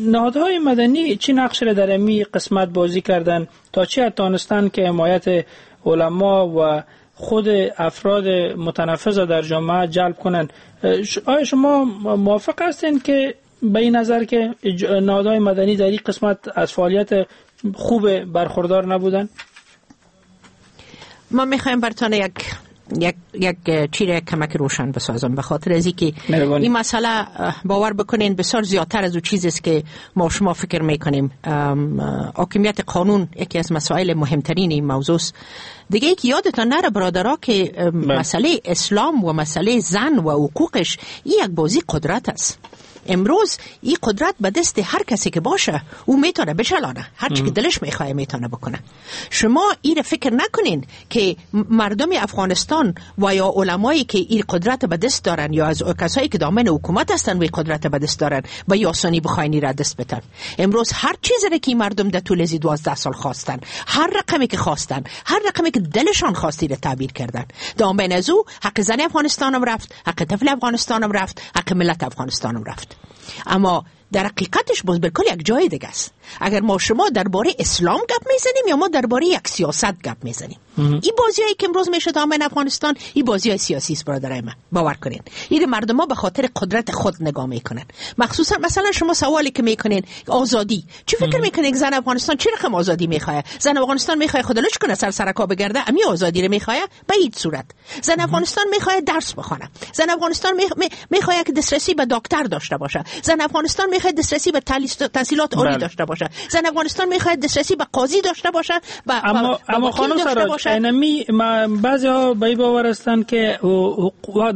نهادهای مدنی چی نقش را در این قسمت بازی کردن تا چی توانستن که حمایت علما و خود افراد متنفذ در جامعه جلب کنند؟ آیا شما موافق هستین که به این نظر که نهادهای مدنی در این قسمت از فعالیت خوب برخوردار نبودن؟ ما میخوایم براتون یک یک یک چیز کمک روشن بسازم، به خاطر از اینکه این مسئله باور بکنین بسیار زیادتر از اون چیزی است که ما شما فکر میکنیم. حاکمیت قانون یکی از مسائل مهمترین این موضوع است. دیگه یکی یادتان نره برادرها که مسئله اسلام و مسئله زن و حقوقش این یک بازی قدرت است. امروز این قدرت به دست هر کسی که باشه او میتونه بچلانه، هر چی که دلش میخواه میتونه بکنه. شما این فکر نکنین که مردم افغانستان و یا علمایی که این قدرت به دست دارن یا از کسایی که دامن حکومت هستن و این قدرت به دست دارن به یاسانی بخواین را دست بتن. امروز هر چیزی را که مردم در طول از دوازده سال خواستن، هر رقمی که خواستن، هر رقمی که دلشان خواستی را تعبیر کردن، دامن از او حق زن افغانستانم رفت، حق طفل افغانستانم رفت، حق ملت افغانستانم رفت. اما در حقیقتش باز بالکل یک جای دیگه است. اگر ما شما درباره اسلام گپ میزنیم یا ما درباره یک سیاست گپ میزنیم، این بازیایی که امروز میشه دامن افغانستان این بازیای سیاسی است برادرای من، باور کنین. این مردم ها به خاطر قدرت خود نگاه میکنن. مخصوصا مثلا شما سوالی که میکنین آزادی، چی فکر میکنین زن افغانستان چه رقم آزادی میخواد؟ زن افغانستان میخواد خودلوچ کنه، سر سرکا بگرده، امی آزادی رو میخواد؟ به هیچ صورت. زن افغانستان میخواد درس بخونه، زن افغانستان میخواد که دسترسی به دکتر داشته باشه، زن افغانستان میخواد دسترسی به تحصیلات عالی داشته باشه، زن افغانستان میخواد دسترسی به قاضی داشته باشه. با اما اما خانم سراج، اینمی بعضی‌ها به این باور هستند که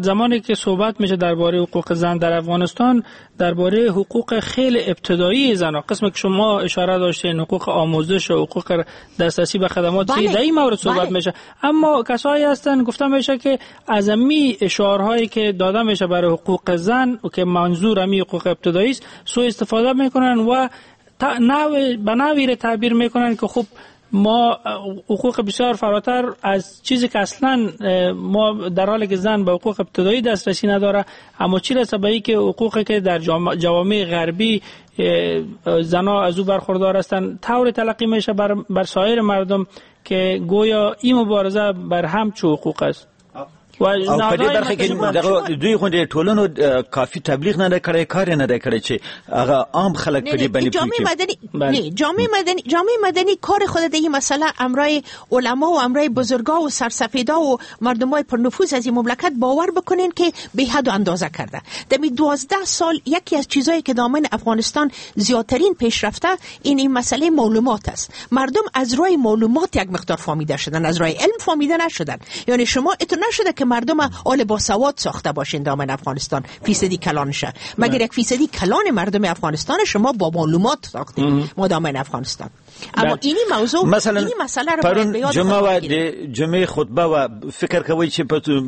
زمانی که صحبت میشه درباره حقوق زن در افغانستان، درباره حقوق خیلی ابتدایی زن‌ها، قسمی که شما اشاره داشتین، حقوق آموزش و حقوق دسترسی به خدمات، بله. در این مورد صحبت بله. میشه. اما کسایی هستن گفته میشه که از امی شعارهایی که داده میشه برای حقوق زن و که منظور امی حقوق ابتدایی است، سوء استفاده میکنن و نوع به نوعی تعبیر میکنن که خب ما حقوق بسیار فراتر از چیزی که اصلا ما در حالی که زن به حقوق ابتدایی دسترسی نداره، اما چی رسه به که حقوقی که در جوامع غربی زنها از او برخوردار هستند طور تلقی میشه بر, بر سایر مردم که گویا این مبارزه بر هم چو حقوق است. او په دې برخه کې دغه دوی غوندې ټولنو کافي تبلیغ نه کړی، کار نه دی کړی چې هغه عام خلک په دې باندې جامعه مدنی نه جامعه مدنی جامعه مدنی کار خود در این مسئله امرای علما و امرای بزرگا و سرسفیدا و مردمای پرنفوذ از این مملکت باور بکنین که به حد و اندازه کرده. در دوازده سال یکی از چیزایی که دامن افغانستان زیادترین پیشرفته این این مسئله معلومات است. مردم از راه معلومات یک مقدار فهمیده شدن، از راه علم فهمیده نشدن. یعنی شما اتو نشده که مردم آل باسواد ساخته باشین دامن افغانستان فیصدی کلانشه، مگر یک فیصدی کلان مردم افغانستان شما با معلومات ساختین ما دامن افغانستان. اما اینی موضوع مثلا اینی مسئله رو باید به یاد جمعه و جمعه خطبه و فکر کوي چې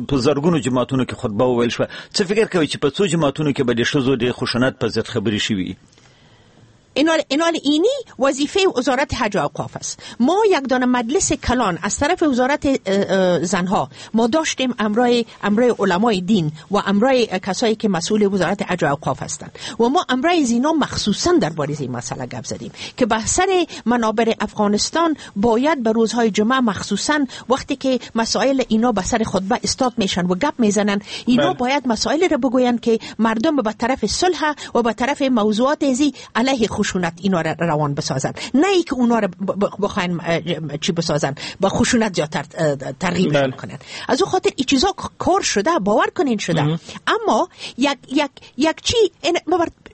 په زرګونو جماعتونو کې خطبه وویل شوه، څه فکر کوي چې په څو جماعتونو کې به د ښځو د خشونت په ضد خبرې شوي؟ اینال اینال اینی وظیفه وزارت حج و اوقاف است. ما یک دانه مجلس کلان از طرف وزارت زنها ما داشتیم، امرای امرای علمای دین و امرای کسایی که مسئول وزارت حج و اوقاف هستند و ما امرای زینا مخصوصا درباره این مسئله گپ زدیم که به سر منابر افغانستان باید به روزهای جمعه مخصوصا وقتی که مسائل اینا به سر خطبه استاد میشن و گپ میزنن، اینا باید مسائل را بگوین که مردم به طرف صلح و به طرف موضوعات ازی علیه خشونت اینا را روان بسازن، نه اینکه اونا را بخواین چی بسازن با خشونت زیادتر ترغیب کنن. از اون خاطر این چیزا کار شده، باور کنین شده. اما یک یک یک چی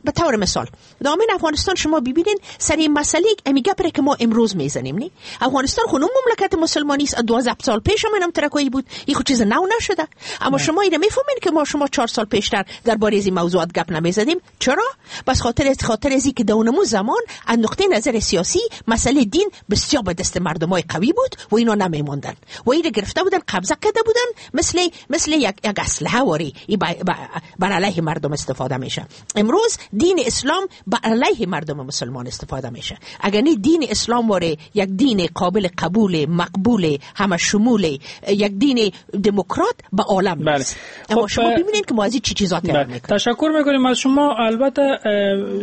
به طور مثال دامن افغانستان شما ببینین سر این مسئله امی گپره که ما امروز میزنیم، نه افغانستان خونم مملکت مسلمانی است، دوازده سال پیش هم اینم ترکایی بود، این خود چیز نو نشده. اما شما اینو میفهمین که ما شما چهار سال پیشتر درباره این موضوعات گپ نمیزدیم. چرا؟ بس خاطر از خاطر از که دونمو زمان از نقطه نظر سیاسی مسئله دین بسیار به دست مردمای قوی بود و اینا نمیموندن و اینو گرفته بودن، قبضه کرده بودن، مثل مثل یک یک اسلحه واری بر علیه مردم استفاده میشه. امروز دین اسلام به علیه مردم مسلمان استفاده میشه. اگر نه دین اسلام واره یک دین قابل قبول، مقبول، همه شمول، یک دین دموکرات به عالم بله. نیست. اما شما ببینید که ما از چی چیزا تیار میکنیم. تشکر میکنیم از شما. البته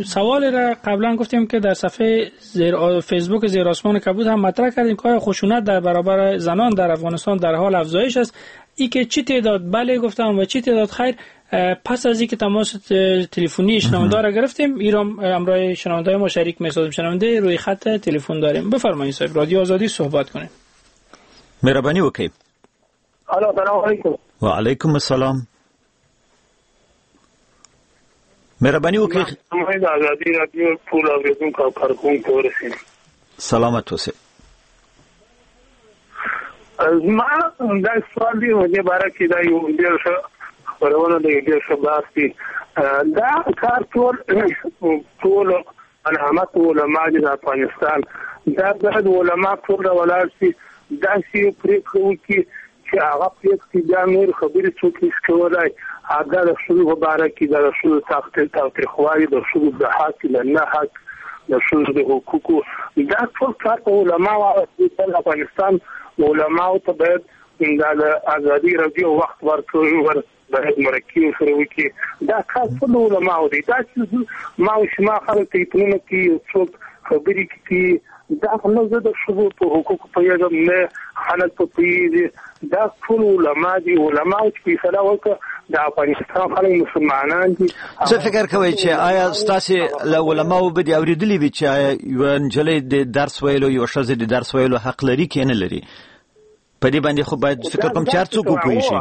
سوال را قبلا گفتیم که در صفحه زیر فیسبوک زیر آسمان کبود هم مطرح کردیم که آیا خشونت در برابر زنان در افغانستان در حال افزایش است؟ ای که چی تعداد بله گفتم و چی تعداد خیر. پس از اینکه تماس تلفنی شنونده را گرفتیم، ایران همراه شنونده ما شریک می‌سازیم. شنونده روی خط تلفن داریم. بفرمایید صاحب رادیو آزادی صحبت کنیم. مهربانی وکړئ. الو، سلام علیکم. و علیکم السلام. مهربانی وکړئ. د ازادي رادیو ټول اوریدونکو او کارکوونکو ورسېږي. سلامت اوسئ. زما دا سوال دی په دې باره کې، دا یو ډېر ښه خپرونه ده، یو ډېر ښه بحث دی. دا کار ټول ټول علامت علما دي د افغانستان، دا باید علما ټول راولاړ شي، داسې یو پرېکړه وکړي چې هغه پرېکړې بیا نور خبرې څوک نشي کولی. دا د ښځو په باره کې، دا د ښځو تاوتریخوالي، د ښځو د حق، د نه حق، د ښځو د حقوقو، دا ټول کار په علماو د افغانستان علماو ته باید دا د ازادي راډیو وخت ورکړي، باید مرکې ورسره وکړي. دا کار ټول علماو دی. دا چې ما او شما خلک تلفونونه کوي، یو څوک خبرې کوي، دا خو نه زه د ښځو په حقوقو پوهېږم، نه خلک په پوهېږي. دا ټول علما دي. علماو چې فیصله وکړه، د افغانستان خلک مسلمانان دي. څه فکر کوئ چې آیا ستاسې له علماو به دې اورېدلي وي چې آیا یوه نجلۍ د درس ویلو، یوه ښځه د درس ویلو حق لري که نه لري؟ په دې باندې خو باید فکر کوم چې هر څوک وپوه شي.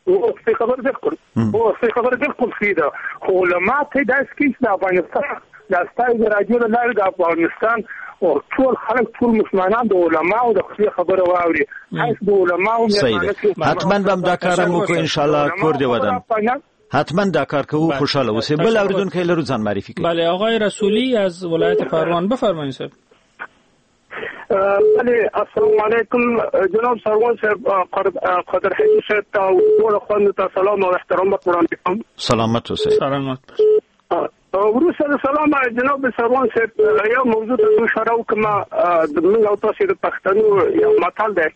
اوس خبر بالکل اوس خبر بالکل صحیح ده، خو علما ته داسې کیږي چې د افغانستان د ستاسې د راډیو له لارې د افغانستان او ټول خلک، ټول مسلمانان د علماو د خپلې خبره واوري. هیڅ د علماو حتما به هم دا کار هم وکړو انشاءالله. کور دې ودان. حتما دا کار کوو. خوشحاله اوسئ. بل اوریدونکی لرو، ځان معرفي کړئ. بله، آقای رسولی از ولایت پروان، بفرمایید صاحب. بله، السلام علیکم جناب سروان صاحب، قادر حبیب صاحب ته او ټولو خویندو ته سلام او احترام وړاندې کوم. سلامت اوسئ. سلامت. وروسته د سلام جناب سروان صاحب، یو موضوع ته اشاره وکړم. د موږ او تاسې د پښتنو یو متل دی،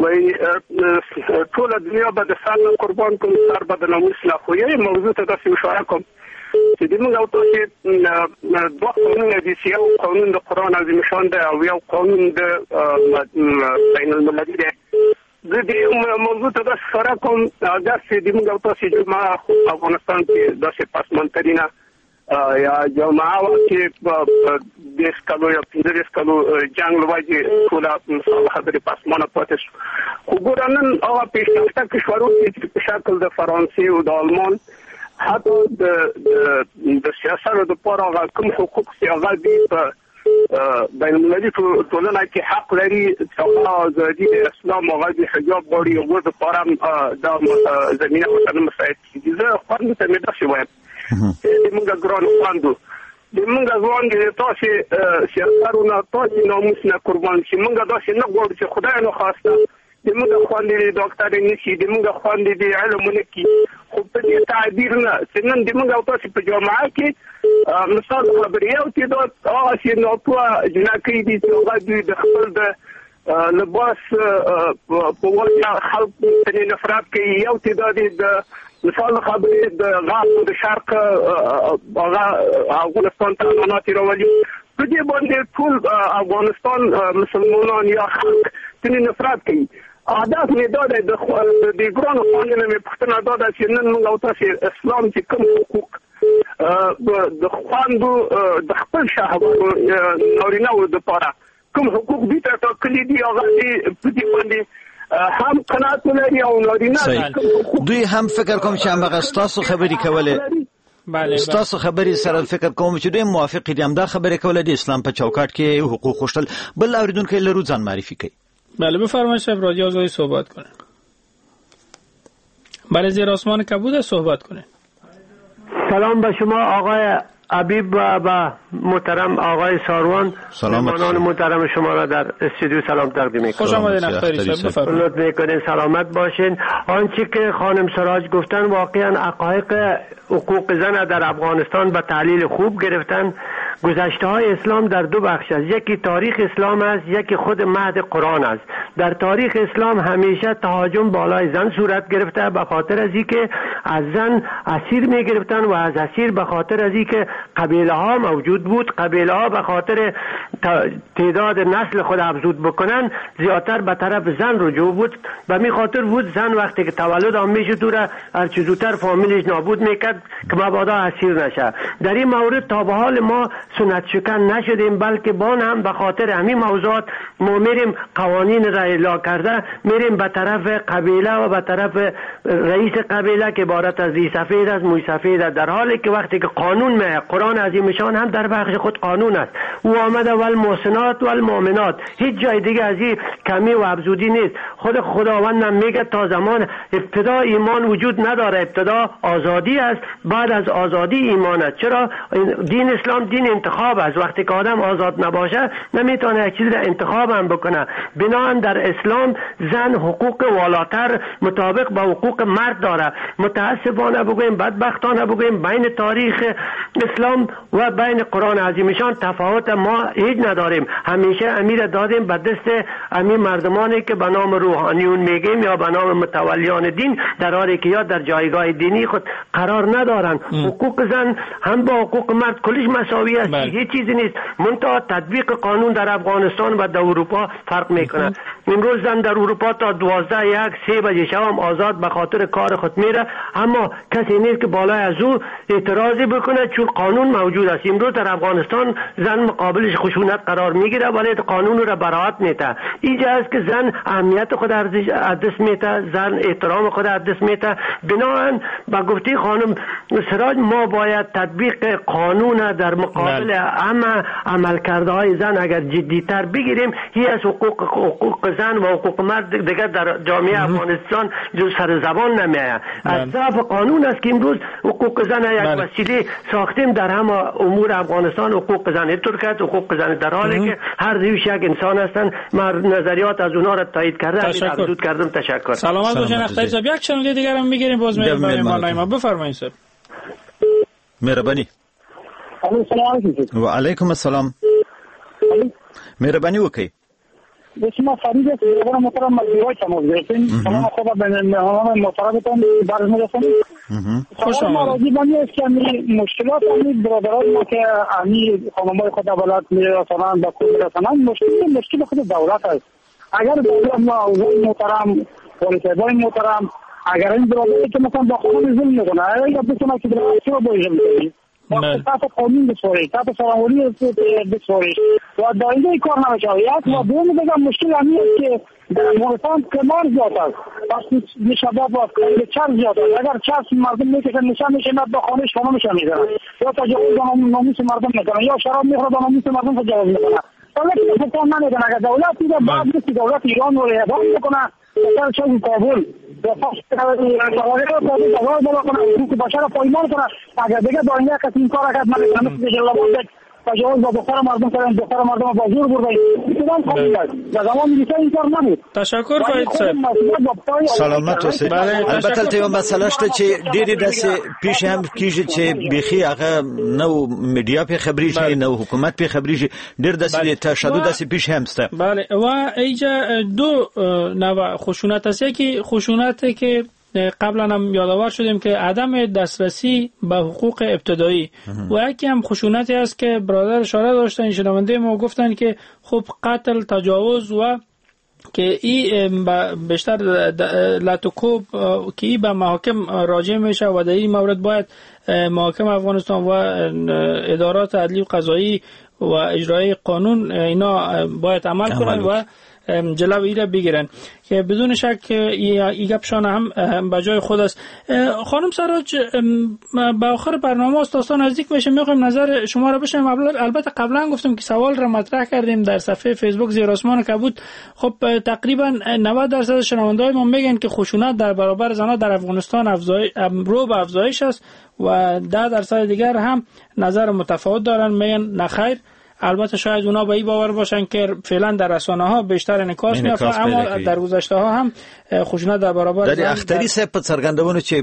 وایي ټوله دنیا به د سر نه قربان کوم، سر به د ناموس نه. خو یوې موضوع ته داسې اشاره کوم چې د موږ او تاسې دوه قانونه دي، چې یو قانون د قرآن عظیم شان دی او یو قانون د بین المللي دی. زه دې موضوع ته داسې اشاره کوم، داسې د موږ او تاسې جمعه افغانستان کې داسې پسماندترینه یا جامعه وه چې دېرش کلو یا پنځه دېرش کلو جنګ له وجې ټوله خبرې په اسمانه پاتې شو. خو ګوره نن هغه پیشرفته کشورو کې چې په شکل د فرانسې او د آلمان، حتی د د سیاست دپاره هغه کوم حقوق چې هغه دوی په بین المللي ټولنه کې حق لري، چې هغه ازادي د اسلام، هغه د حجاب غواړي، هغو دپاره هم دا زمینه ورته نه مساعد کېږي. زه خویندو ته مې داسې وایم، د موږ ګرانو خویندو، د موږ ځوان دي، تاسې سیاستونه تاسې ناموس نه قربان شي. موږ داسې نه غواړو چې خدای نخواسته د موږ خویندې دې ډاکټرې نه شي، د موږ خویندې دې علم ونه کړي، خو په دې تعبیر نه چې نن د موږ او تاسې په جامعه کې مثال خبرې یو تعداد هغسې ناپوهه جنکۍ دي چې هغه دوی د خپل د لباس په وجه خلک ترې نفرت کوي، یو تعداد یې د مثال خبرې د غرب او د شرق هغه افغانستان ته امانات راولي. په دې باندې ټول افغانستان مسلمانان یا خلک ترې نفرت کوي. هدف مې دا دی، د دې ګرانو خویندو نه مې پوښتنه دا ده چې نن موږ او تاسې اسلام چې کوم حقوق د خویندو د خپل شهوانو نارینهوو دپاره کوم حقوق دوی ته ټاکلي دي، هغه دې په دې باندې هم قناعت ولري او نارینه دوی هم فکر کوم چې همغه ستاسو خبرې کولې، بله ستاسو خبرې سره فکر کوم چې دوی موافق دي، همدا خبرې کولې د اسلام په چوکاټ کې حقوق غوښتل. بل اوریدونکی لرو، ځان معرفي کوي. بله، بفرمایید صاحب، رادیو آزادی صحبت کنه. بله، زیر آسمان کبود صحبت کنه. سلام به شما آقای حبیب و با محترم آقای ساروان، مهمانان محترم شما را در استودیو سلام تقدیم میکنم. خوش آمدین اختری صاحب، بفرمایید. لطف میکنین، سلامت باشین. آنچه که خانم سراج گفتن واقعا حقایق حقوق زن در افغانستان به تحلیل خوب گرفتن. گذشته های اسلام در دو بخش است، یکی تاریخ اسلام است، یکی خود مهد قرآن است. در تاریخ اسلام همیشه تهاجم بالای زن صورت گرفته، به خاطر از اینکه از زن اسیر می گرفتن و از اسیر به خاطر از اینکه قبیله ها موجود بود، قبیله ها به خاطر تعداد نسل خود افزود بکنن زیادتر به طرف زن رجوع بود. به می خاطر بود زن وقتی که تولد هم میشد او را هرچه زودتر فامیلش نابود میکرد که مبادا اسیر نشه. در این مورد تا به حال ما سنت شکن نشدیم، بلکه بان هم به خاطر همین موضوعات ما میریم قوانین را اعلا کرده میریم به طرف قبیله و به طرف رئیس قبیله که عبارت از ریش سفید است، موی سفید است، در حالی که وقتی که قانون می قرآن عظیم شان هم در بخش خود قانون است، او آمده والمحسنات والمؤمنات، هیچ جای دیگه از این کمی و افزودی نیست. خود خداوند هم میگه تا زمان ابتدا ایمان وجود نداره، ابتدا آزادی است، بعد از آزادی ایمان است. چرا دین اسلام دین انتخاب است؟ وقتی که آدم آزاد نباشه نمیتونه یک چیز را انتخاب هم بکنه. بنابراین در اسلام زن حقوق والاتر مطابق با حقوق مرد داره. متاسفانه بگوییم، بدبختانه بگوییم، بین تاریخ اسلام و بین قرآن عظیمشان تفاوت ما هیچ نداریم. همیشه امیر دادیم به دست امیر مردمانی که به نام روحانیون میگیم یا به نام متولیان دین، در حالی که یا در جایگاه دینی خود قرار ندارن. حقوق زن هم با حقوق مرد کلش مساوی است، هیچ چیزی نیست. منتها تطبیق قانون در افغانستان و در اروپا فرق میکنه. امروز زن در اروپا تا دوازده یک سه بجه شب هم آزاد به خاطر کار خود میره، اما کسی نیست که بالای از او اعتراضی بکنه چون قانون موجود است. امروز در افغانستان زن مقابلش خشونت قرار میگیره ولی قانون را براعت میده. اینجا است که زن اهمیت خود از دست میده، زن احترام خود از دست میده. بنابراین با گفته خانم سراج ما باید تطبیق قانون در مقابل همه عملکرده های زن اگر جدیتر بگیریم، هی از حقوق حقوق زن و حقوق مرد دیگر در جامعه افغانستان جو سر زبان نمیآید. از ضعف قانون است که امروز حقوق زن یک وسیله ساختیم در همه امور افغانستان. حقوق زن ترکت، حقوق زن در حالی که هر دویش یک انسان هستند. من نظریات از اونها را تایید کرده افزود کردم. تشکر. سلامت باشین اختری صاحب. یک شنونده دیگر هم میگیریم باز میریم برای ما. بفرمایید صاحب. مهربانی. و علیکم السلام. مهربانی وکړئ. شما فرید است، برادر محترم مزدورای تماس گرفتیم. سلام خدا به مهمانان محترمتان برز میرسانیم. خوش آمدید. راضی بانی است که مشکلات همین برادرای ما که همین خانمای خود دولت میرسانند به کور میرسانند، مشکل مشکل خود دولت است. اگر دولت ما اوضاع محترم والی محترم اگر این برادری که مثلا با خانم ظلم میکنه، اگر بتونه که چرا باید میکنی تحت قانون بسپارید، تحت سرانوری بسپارید و داینده کار نمیشه. یک و دوم دیگه مشکل همین است که در افغانستان قمار زیاد است، پس شباب و چرس زیاد است. اگر چرس مردم میکشن نشه میشه با خانهش خانمش میزنن یا تجاوز به ناموس مردم میکنن یا شراب میخوره به ناموس مردم تجاوز میکنن. دولت حکام نمیکنه. اگر دولت دیگه بعد نیست دولت ایران رو اعدام میکنه، سر چون کابل اگر دیگه داینده کسی این کار کرد من مثل جلال تجاوز با دختر مردم کردن، دختر مردم با زور بردن، این در زمان میلیسا این کار نبود. تشکر فرید صاحب. سلامت اوسئ. البته ته یو مسله شته چې ډېرې داسې پیښې هم کیږي چې بیخي هغه نو میډیا په خبرېږي نو حکومت په خبرېږي، ډېر داسې تشدد داسې پیښې هم شته. بله و اینجا دو نوع خشونت است. یکی خشونت که قبلا هم یادآور شدیم که عدم دسترسی به حقوق ابتدایی و یکی هم خشونتی است که برادر اشاره داشتن شنونده ما گفتن که خب قتل، تجاوز و که این بیشتر لطوکوب که ای به محاکم راجع میشه و در این مورد باید محاکم افغانستان و ادارات عدلی و قضایی و اجرای قانون اینا باید عمل کنند و جلو ای را بگیرن که بدون شک ای گپشان هم به جای خود است. خانم سراج، به آخر برنامه است، داستان نزدیک میشه، میخوایم نظر شما را بشنویم. البته قبلا گفتم که سوال را مطرح کردیم در صفحه فیسبوک زیر آسمان کبود. خب تقریبا نود درصد شنونده‌های ما میگن که خشونت در برابر زنان در افغانستان افزایش رو به افزایش است و ده درصد دیگر هم نظر متفاوت دارن، میگن نخیر. البته شاید اونا به این باور باشن که فعلا در رسانه ها بیشتر انعکاس میافته، اما در گذشته ها هم خشونت در برابر در اختری صاحب په څرګندونو چې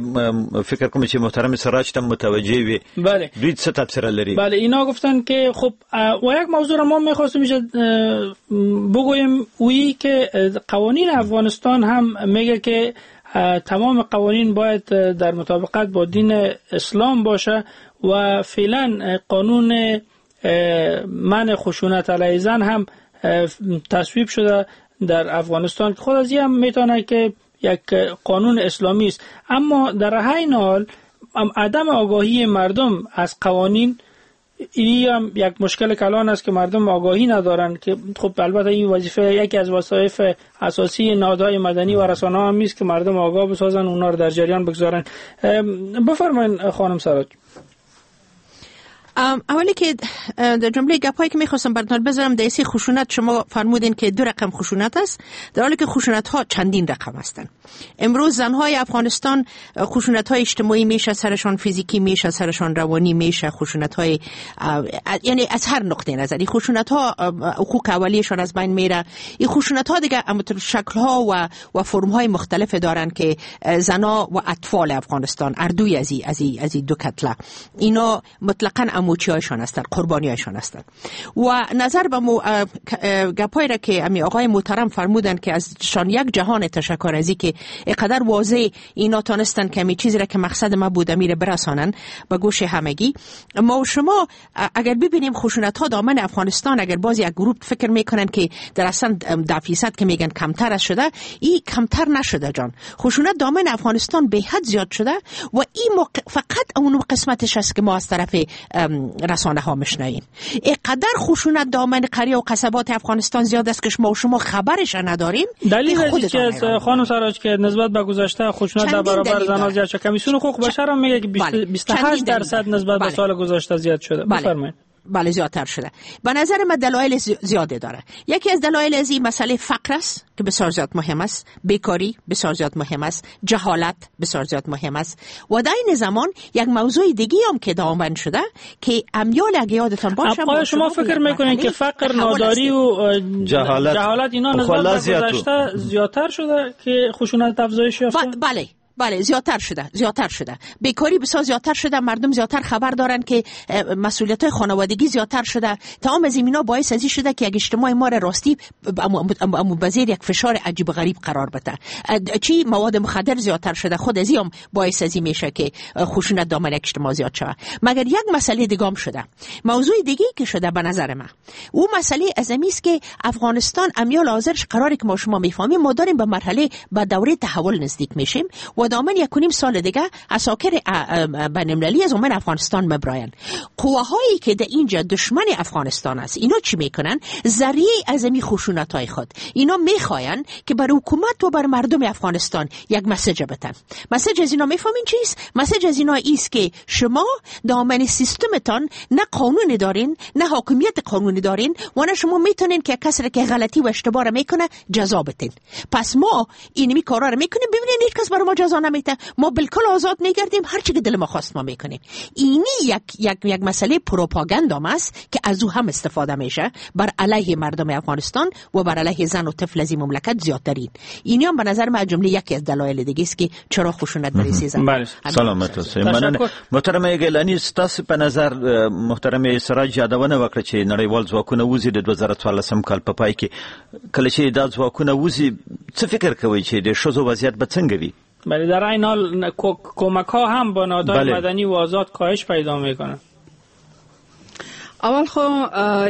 فکر کوم چې محترم سراج ته متوجه وي، بله، دوی څه تبصره لري؟ بله، اینا گفتن که خب و یک موضوع را ما می‌خواستیم بگوییم، وی که قوانین افغانستان هم میگه که تمام قوانین باید در مطابقت با دین اسلام باشه و فعلا قانون منع خشونت علیه زن هم تصویب شده در افغانستان که خود از این هم میتونه که یک قانون اسلامی است، اما در عین حال عدم آگاهی مردم از قوانین این هم یک مشکل کلان است که مردم آگاهی ندارن، که خب البته این وظیفه یکی از وظایف اساسی نهادهای مدنی و رسانه‌ها هم است که مردم آگاه بسازن، اونا رو در جریان بگذارن. بفرمایید خانم سراج. اولی که در جمله گپایی که میخواستم براتون بذارم در سی خشونت، شما فرمودین که دو رقم خشونت است، در حالی که خشونت ها چندین رقم هستند. امروز زنهای افغانستان خشونت های اجتماعی میشه سرشان، فیزیکی میشه سرشان، روانی میشه، خشونت های یعنی از هر نقطه نظری خشونت ها حقوق اولیه‌شان از بین میره. این خشونت ها دیگه شکل ها و و فرم های مختلف دارن که زنا و اطفال افغانستان اردوی از از از دو کتله اینا مطلقاً اموچی‌هایشان هستند، قربانی‌هایشان هستند. و نظر به مو... گپایی را که امی آقای محترم فرمودن که از شان یک جهان تشکر ازی که اینقدر واضح اینا تانستن که امی چیزی را که مقصد ما بود امیر برسانن به گوش همگی. ما و شما اگر ببینیم خشونت‌ها دامن افغانستان، اگر باز یک گروه فکر میکنن که در اصلا ده فیصد که میگن کمتر از شده، این کمتر نشده جان. خشونت دامن افغانستان به حد زیاد شده و این موقع... فقط اون قسمتش است که ما از طرف رسانه ها مشنویم. اینقدر خشونت دامن قریه و قصبات افغانستان زیاد است که شما و شما خبرش نداریم. دلیل از که خانم سراج که نسبت به گذشته خشونت در برابر زنان زیاد شده، کمیسیون حقوق بشر هم میگه که بیست و هشت درصد نسبت به سال گذشته زیاد شده. بفرمایید. بله زیادتر شده. به نظر من دلایل زیاده داره. یکی از دلایل از این مسئله فقر است که بسیار زیاد مهم است، بیکاری بسیار زیاد مهم است، جهالت بسیار زیاد مهم است و در این زمان یک موضوع دیگه هم که دامن شده که امیال اگه یادتان باشه. آیا شما فکر میکنید که فقر، ناداری و جهالت, جهالت اینا نسبت به گذشته زیادتر شده که خشونت افزایش یافته؟ بله بله زیادتر شده، زیادتر شده. بیکاری بسیار زیادتر شده، مردم زیادتر خبر دارن که مسئولیت‌های خانوادگی زیادتر شده. تمام از اینا باعث از این شده که یک اجتماع ما را راستی بزیر یک فشار عجیب و غریب قرار بده. چی مواد مخدر زیادتر شده، خود از این باعث از این میشه که خشونت دامن یک اجتماع زیاد شود. مگر یک مسئله دیگه هم شده، موضوع دیگه که شده به نظر من او مسئله از این است که افغانستان امیال حاضرش قراری که ما شما میفهمیم ما داریم به مرحله به دوره تحول نزدیک میشیم و دامن یک و نیم سال دیگه عساکر بین‌المللی از عمان افغانستان مبراین. قواهایی که در اینجا دشمن افغانستان است اینا چی میکنن؟ ذریعه از این خشونت‌های خود اینا میخواین که بر حکومت و بر مردم افغانستان یک message بدن. message از اینا میفهمین چیست؟ message از اینا ایست که شما دامن سیستمتان نه قانون دارین، نه حاکمیت قانونی دارین و نه شما میتونین که کسی که غلطی و اشتباه را میکنه جزا بدین. پس ما اینمی کارا رو میکنیم، ببینین هیچ کس بر ما جزا نمیده، ما بالکل آزاد میگردیم، هر چی که دل ما خواست ما میکنیم. اینی یک یک یک مسئله پروپاگاندا است که از او هم استفاده میشه بر علیه مردم افغانستان و بر علیه زن و طفل از این مملکت زیادترین. اینی هم به نظر من جمله یکی از دلایل دیگه است که چرا خشونت برای زن. بله سلامت اوسئ. مننه محترم ګیلانی، ستاسو په نظر محترم سراج یادونه وکړه چې نړیوال ځواکونه وځي د دوه زره څوارلسم کال په پای کې، کله چې دا ځواکونه وځي څه فکر کوئ چې د ښځو وضعیت به څنګه وي؟ بله در این حال کمک ها هم با نهادهای مدنی و آزاد کاهش پیدا میکنه. اول خو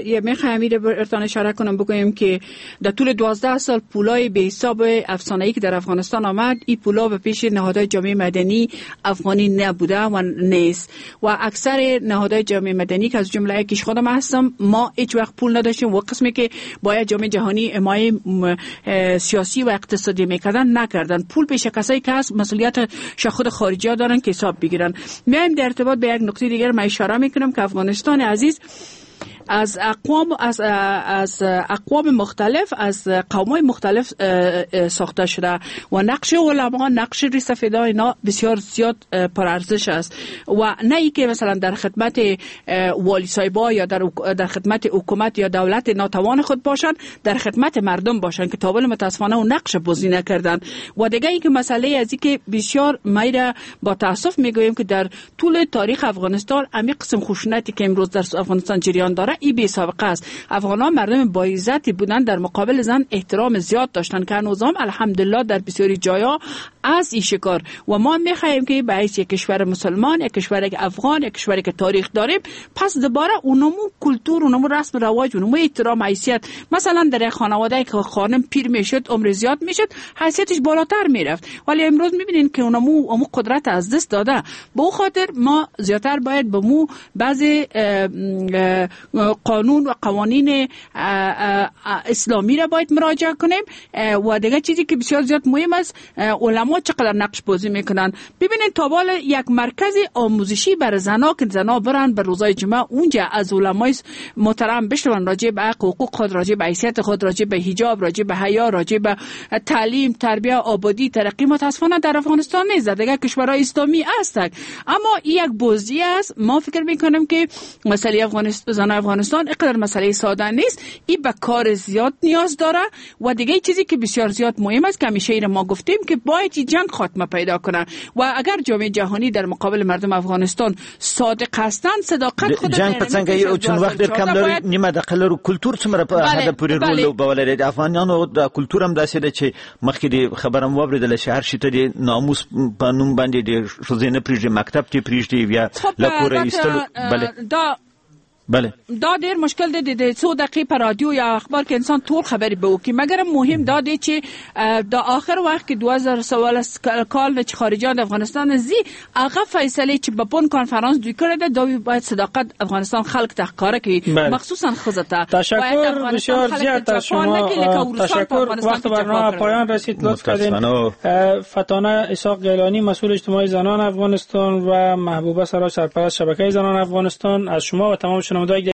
یه میخوایم ایره برتان اشاره کنم بگویم که در طول دوازده سال پولای به حساب افسانه‌ای که در افغانستان آمد، این پولا به پیش نهادهای جامعه مدنی افغانی نبوده و نیست و اکثر نهادهای جامعه مدنی که از جمله یکیش خودم هستم، ما هیچ وقت پول نداشتیم و قسمی که باید جامعه جهانی حمایت سیاسی و اقتصادی میکردن نکردن. پول پیش کسایی که هست مسئولیت خود خارجی‌ها دارن که حساب بگیرن. میایم در ارتباط به یک نکته دیگر من اشاره میکنم که افغانستان عزیز از اقوام از از اقوام مختلف، از قوم‌های مختلف ساخته شده و نقش علما، نقش ریسفیدا اینا بسیار زیاد پرارزش است و نه ای که مثلا در خدمت والی صاحبا یا در در خدمت حکومت یا دولت ناتوان خود باشن، در خدمت مردم باشن که تا حال متاسفانه اون نقش بازی نکردن. و دیگه ای که مسئله از این که بسیار میره با تاسف میگویم که در طول تاریخ افغانستان امی قسم خشونتی که امروز در افغانستان جریان داره ای بی سابقه است. افغان‌ها مردم با عزتی بودن، در مقابل زن احترام زیاد داشتن که هنوزم الحمدلله در بسیاری جایا از این شکار. و ما میخواهیم که به حیث یک کشور مسلمان، یک کشور افغان، یک کشوری که تاریخ داریم، پس دوباره اونمو کلتور، اونمو رسم رواج، اونمو احترام، حیثیت، مثلا در یک خانواده که خانم پیر میشد، عمر زیاد میشد، حیثیتش بالاتر میرفت، ولی امروز میبینین که اونمو اونمو قدرت از دست داده. به او خاطر ما زیادتر باید به مو بعضی قانون و قوانین اسلامی را باید مراجعه کنیم. و دیگه چیزی که بسیار زیاد مهم است، علما چقدر نقش بازی میکنن. ببینید تا حال یک مرکز آموزشی برای زنا که زنا برن بر روزای جمعه اونجا از علمای محترم بشنون راجع به حقوق خود، راجع به حیثیت خود، راجع به حجاب، راجع به حیا، راجع به تعلیم، تربیه، آبادی، ترقی. متاسفانه در افغانستان نیست، در دیگه کشورهای اسلامی است. اما یک بازی است. ما فکر میکنم که مسئله افغانستان، زن افغانستان اینقدر مسئله ساده نیست، این به کار زیاد نیاز داره. و دیگه چیزی که بسیار زیاد مهم است که همیشه ایره ما گفتیم که باید جنگ خاتمه پیدا کنه و اگر جامعه جهانی در مقابل مردم افغانستان صادق هستند، صداقت خود جنگ په څنګه یو چون وخت ډیر کم لري، نیمه دقیقه لرو. کلتور څومره په حد پورې رول لوبولی دی؟ افغانانو د کلتور هم داسې ده چې مخکې د خبرم واورېدله چې هر شي ته د ناموس په نوم باندې د ښځې نه پرېږدي، مکتب ته پرېږدي یا له کوره ایستلو. بله دا بله دا ډیر مشکل دی د څو دقیقې په رادیو یا اخبار کې انسان ټول خبرې به وکړي، مګر مهم دا دی چې د آخر وخت کې دوه زره څوارلس کال چې خارجیان د افغانستان ځي، هغه فیصله چې په بن کنفرانس دوی کړې ده، دا باید صداقت افغانستان خلک ته ښکاره کړي، مخصوصا ښځو ته. تشکر بسیار زیاد از شما. تشکر. وقت برنامه پایان رسید. لطف کردین. فتانه اسحاق گیلانی، مسئول اجتماعی زنان افغانستان، و محبوبه سراج، سرپرست شبکه زنان افغانستان، از شما و تمام شنوندگان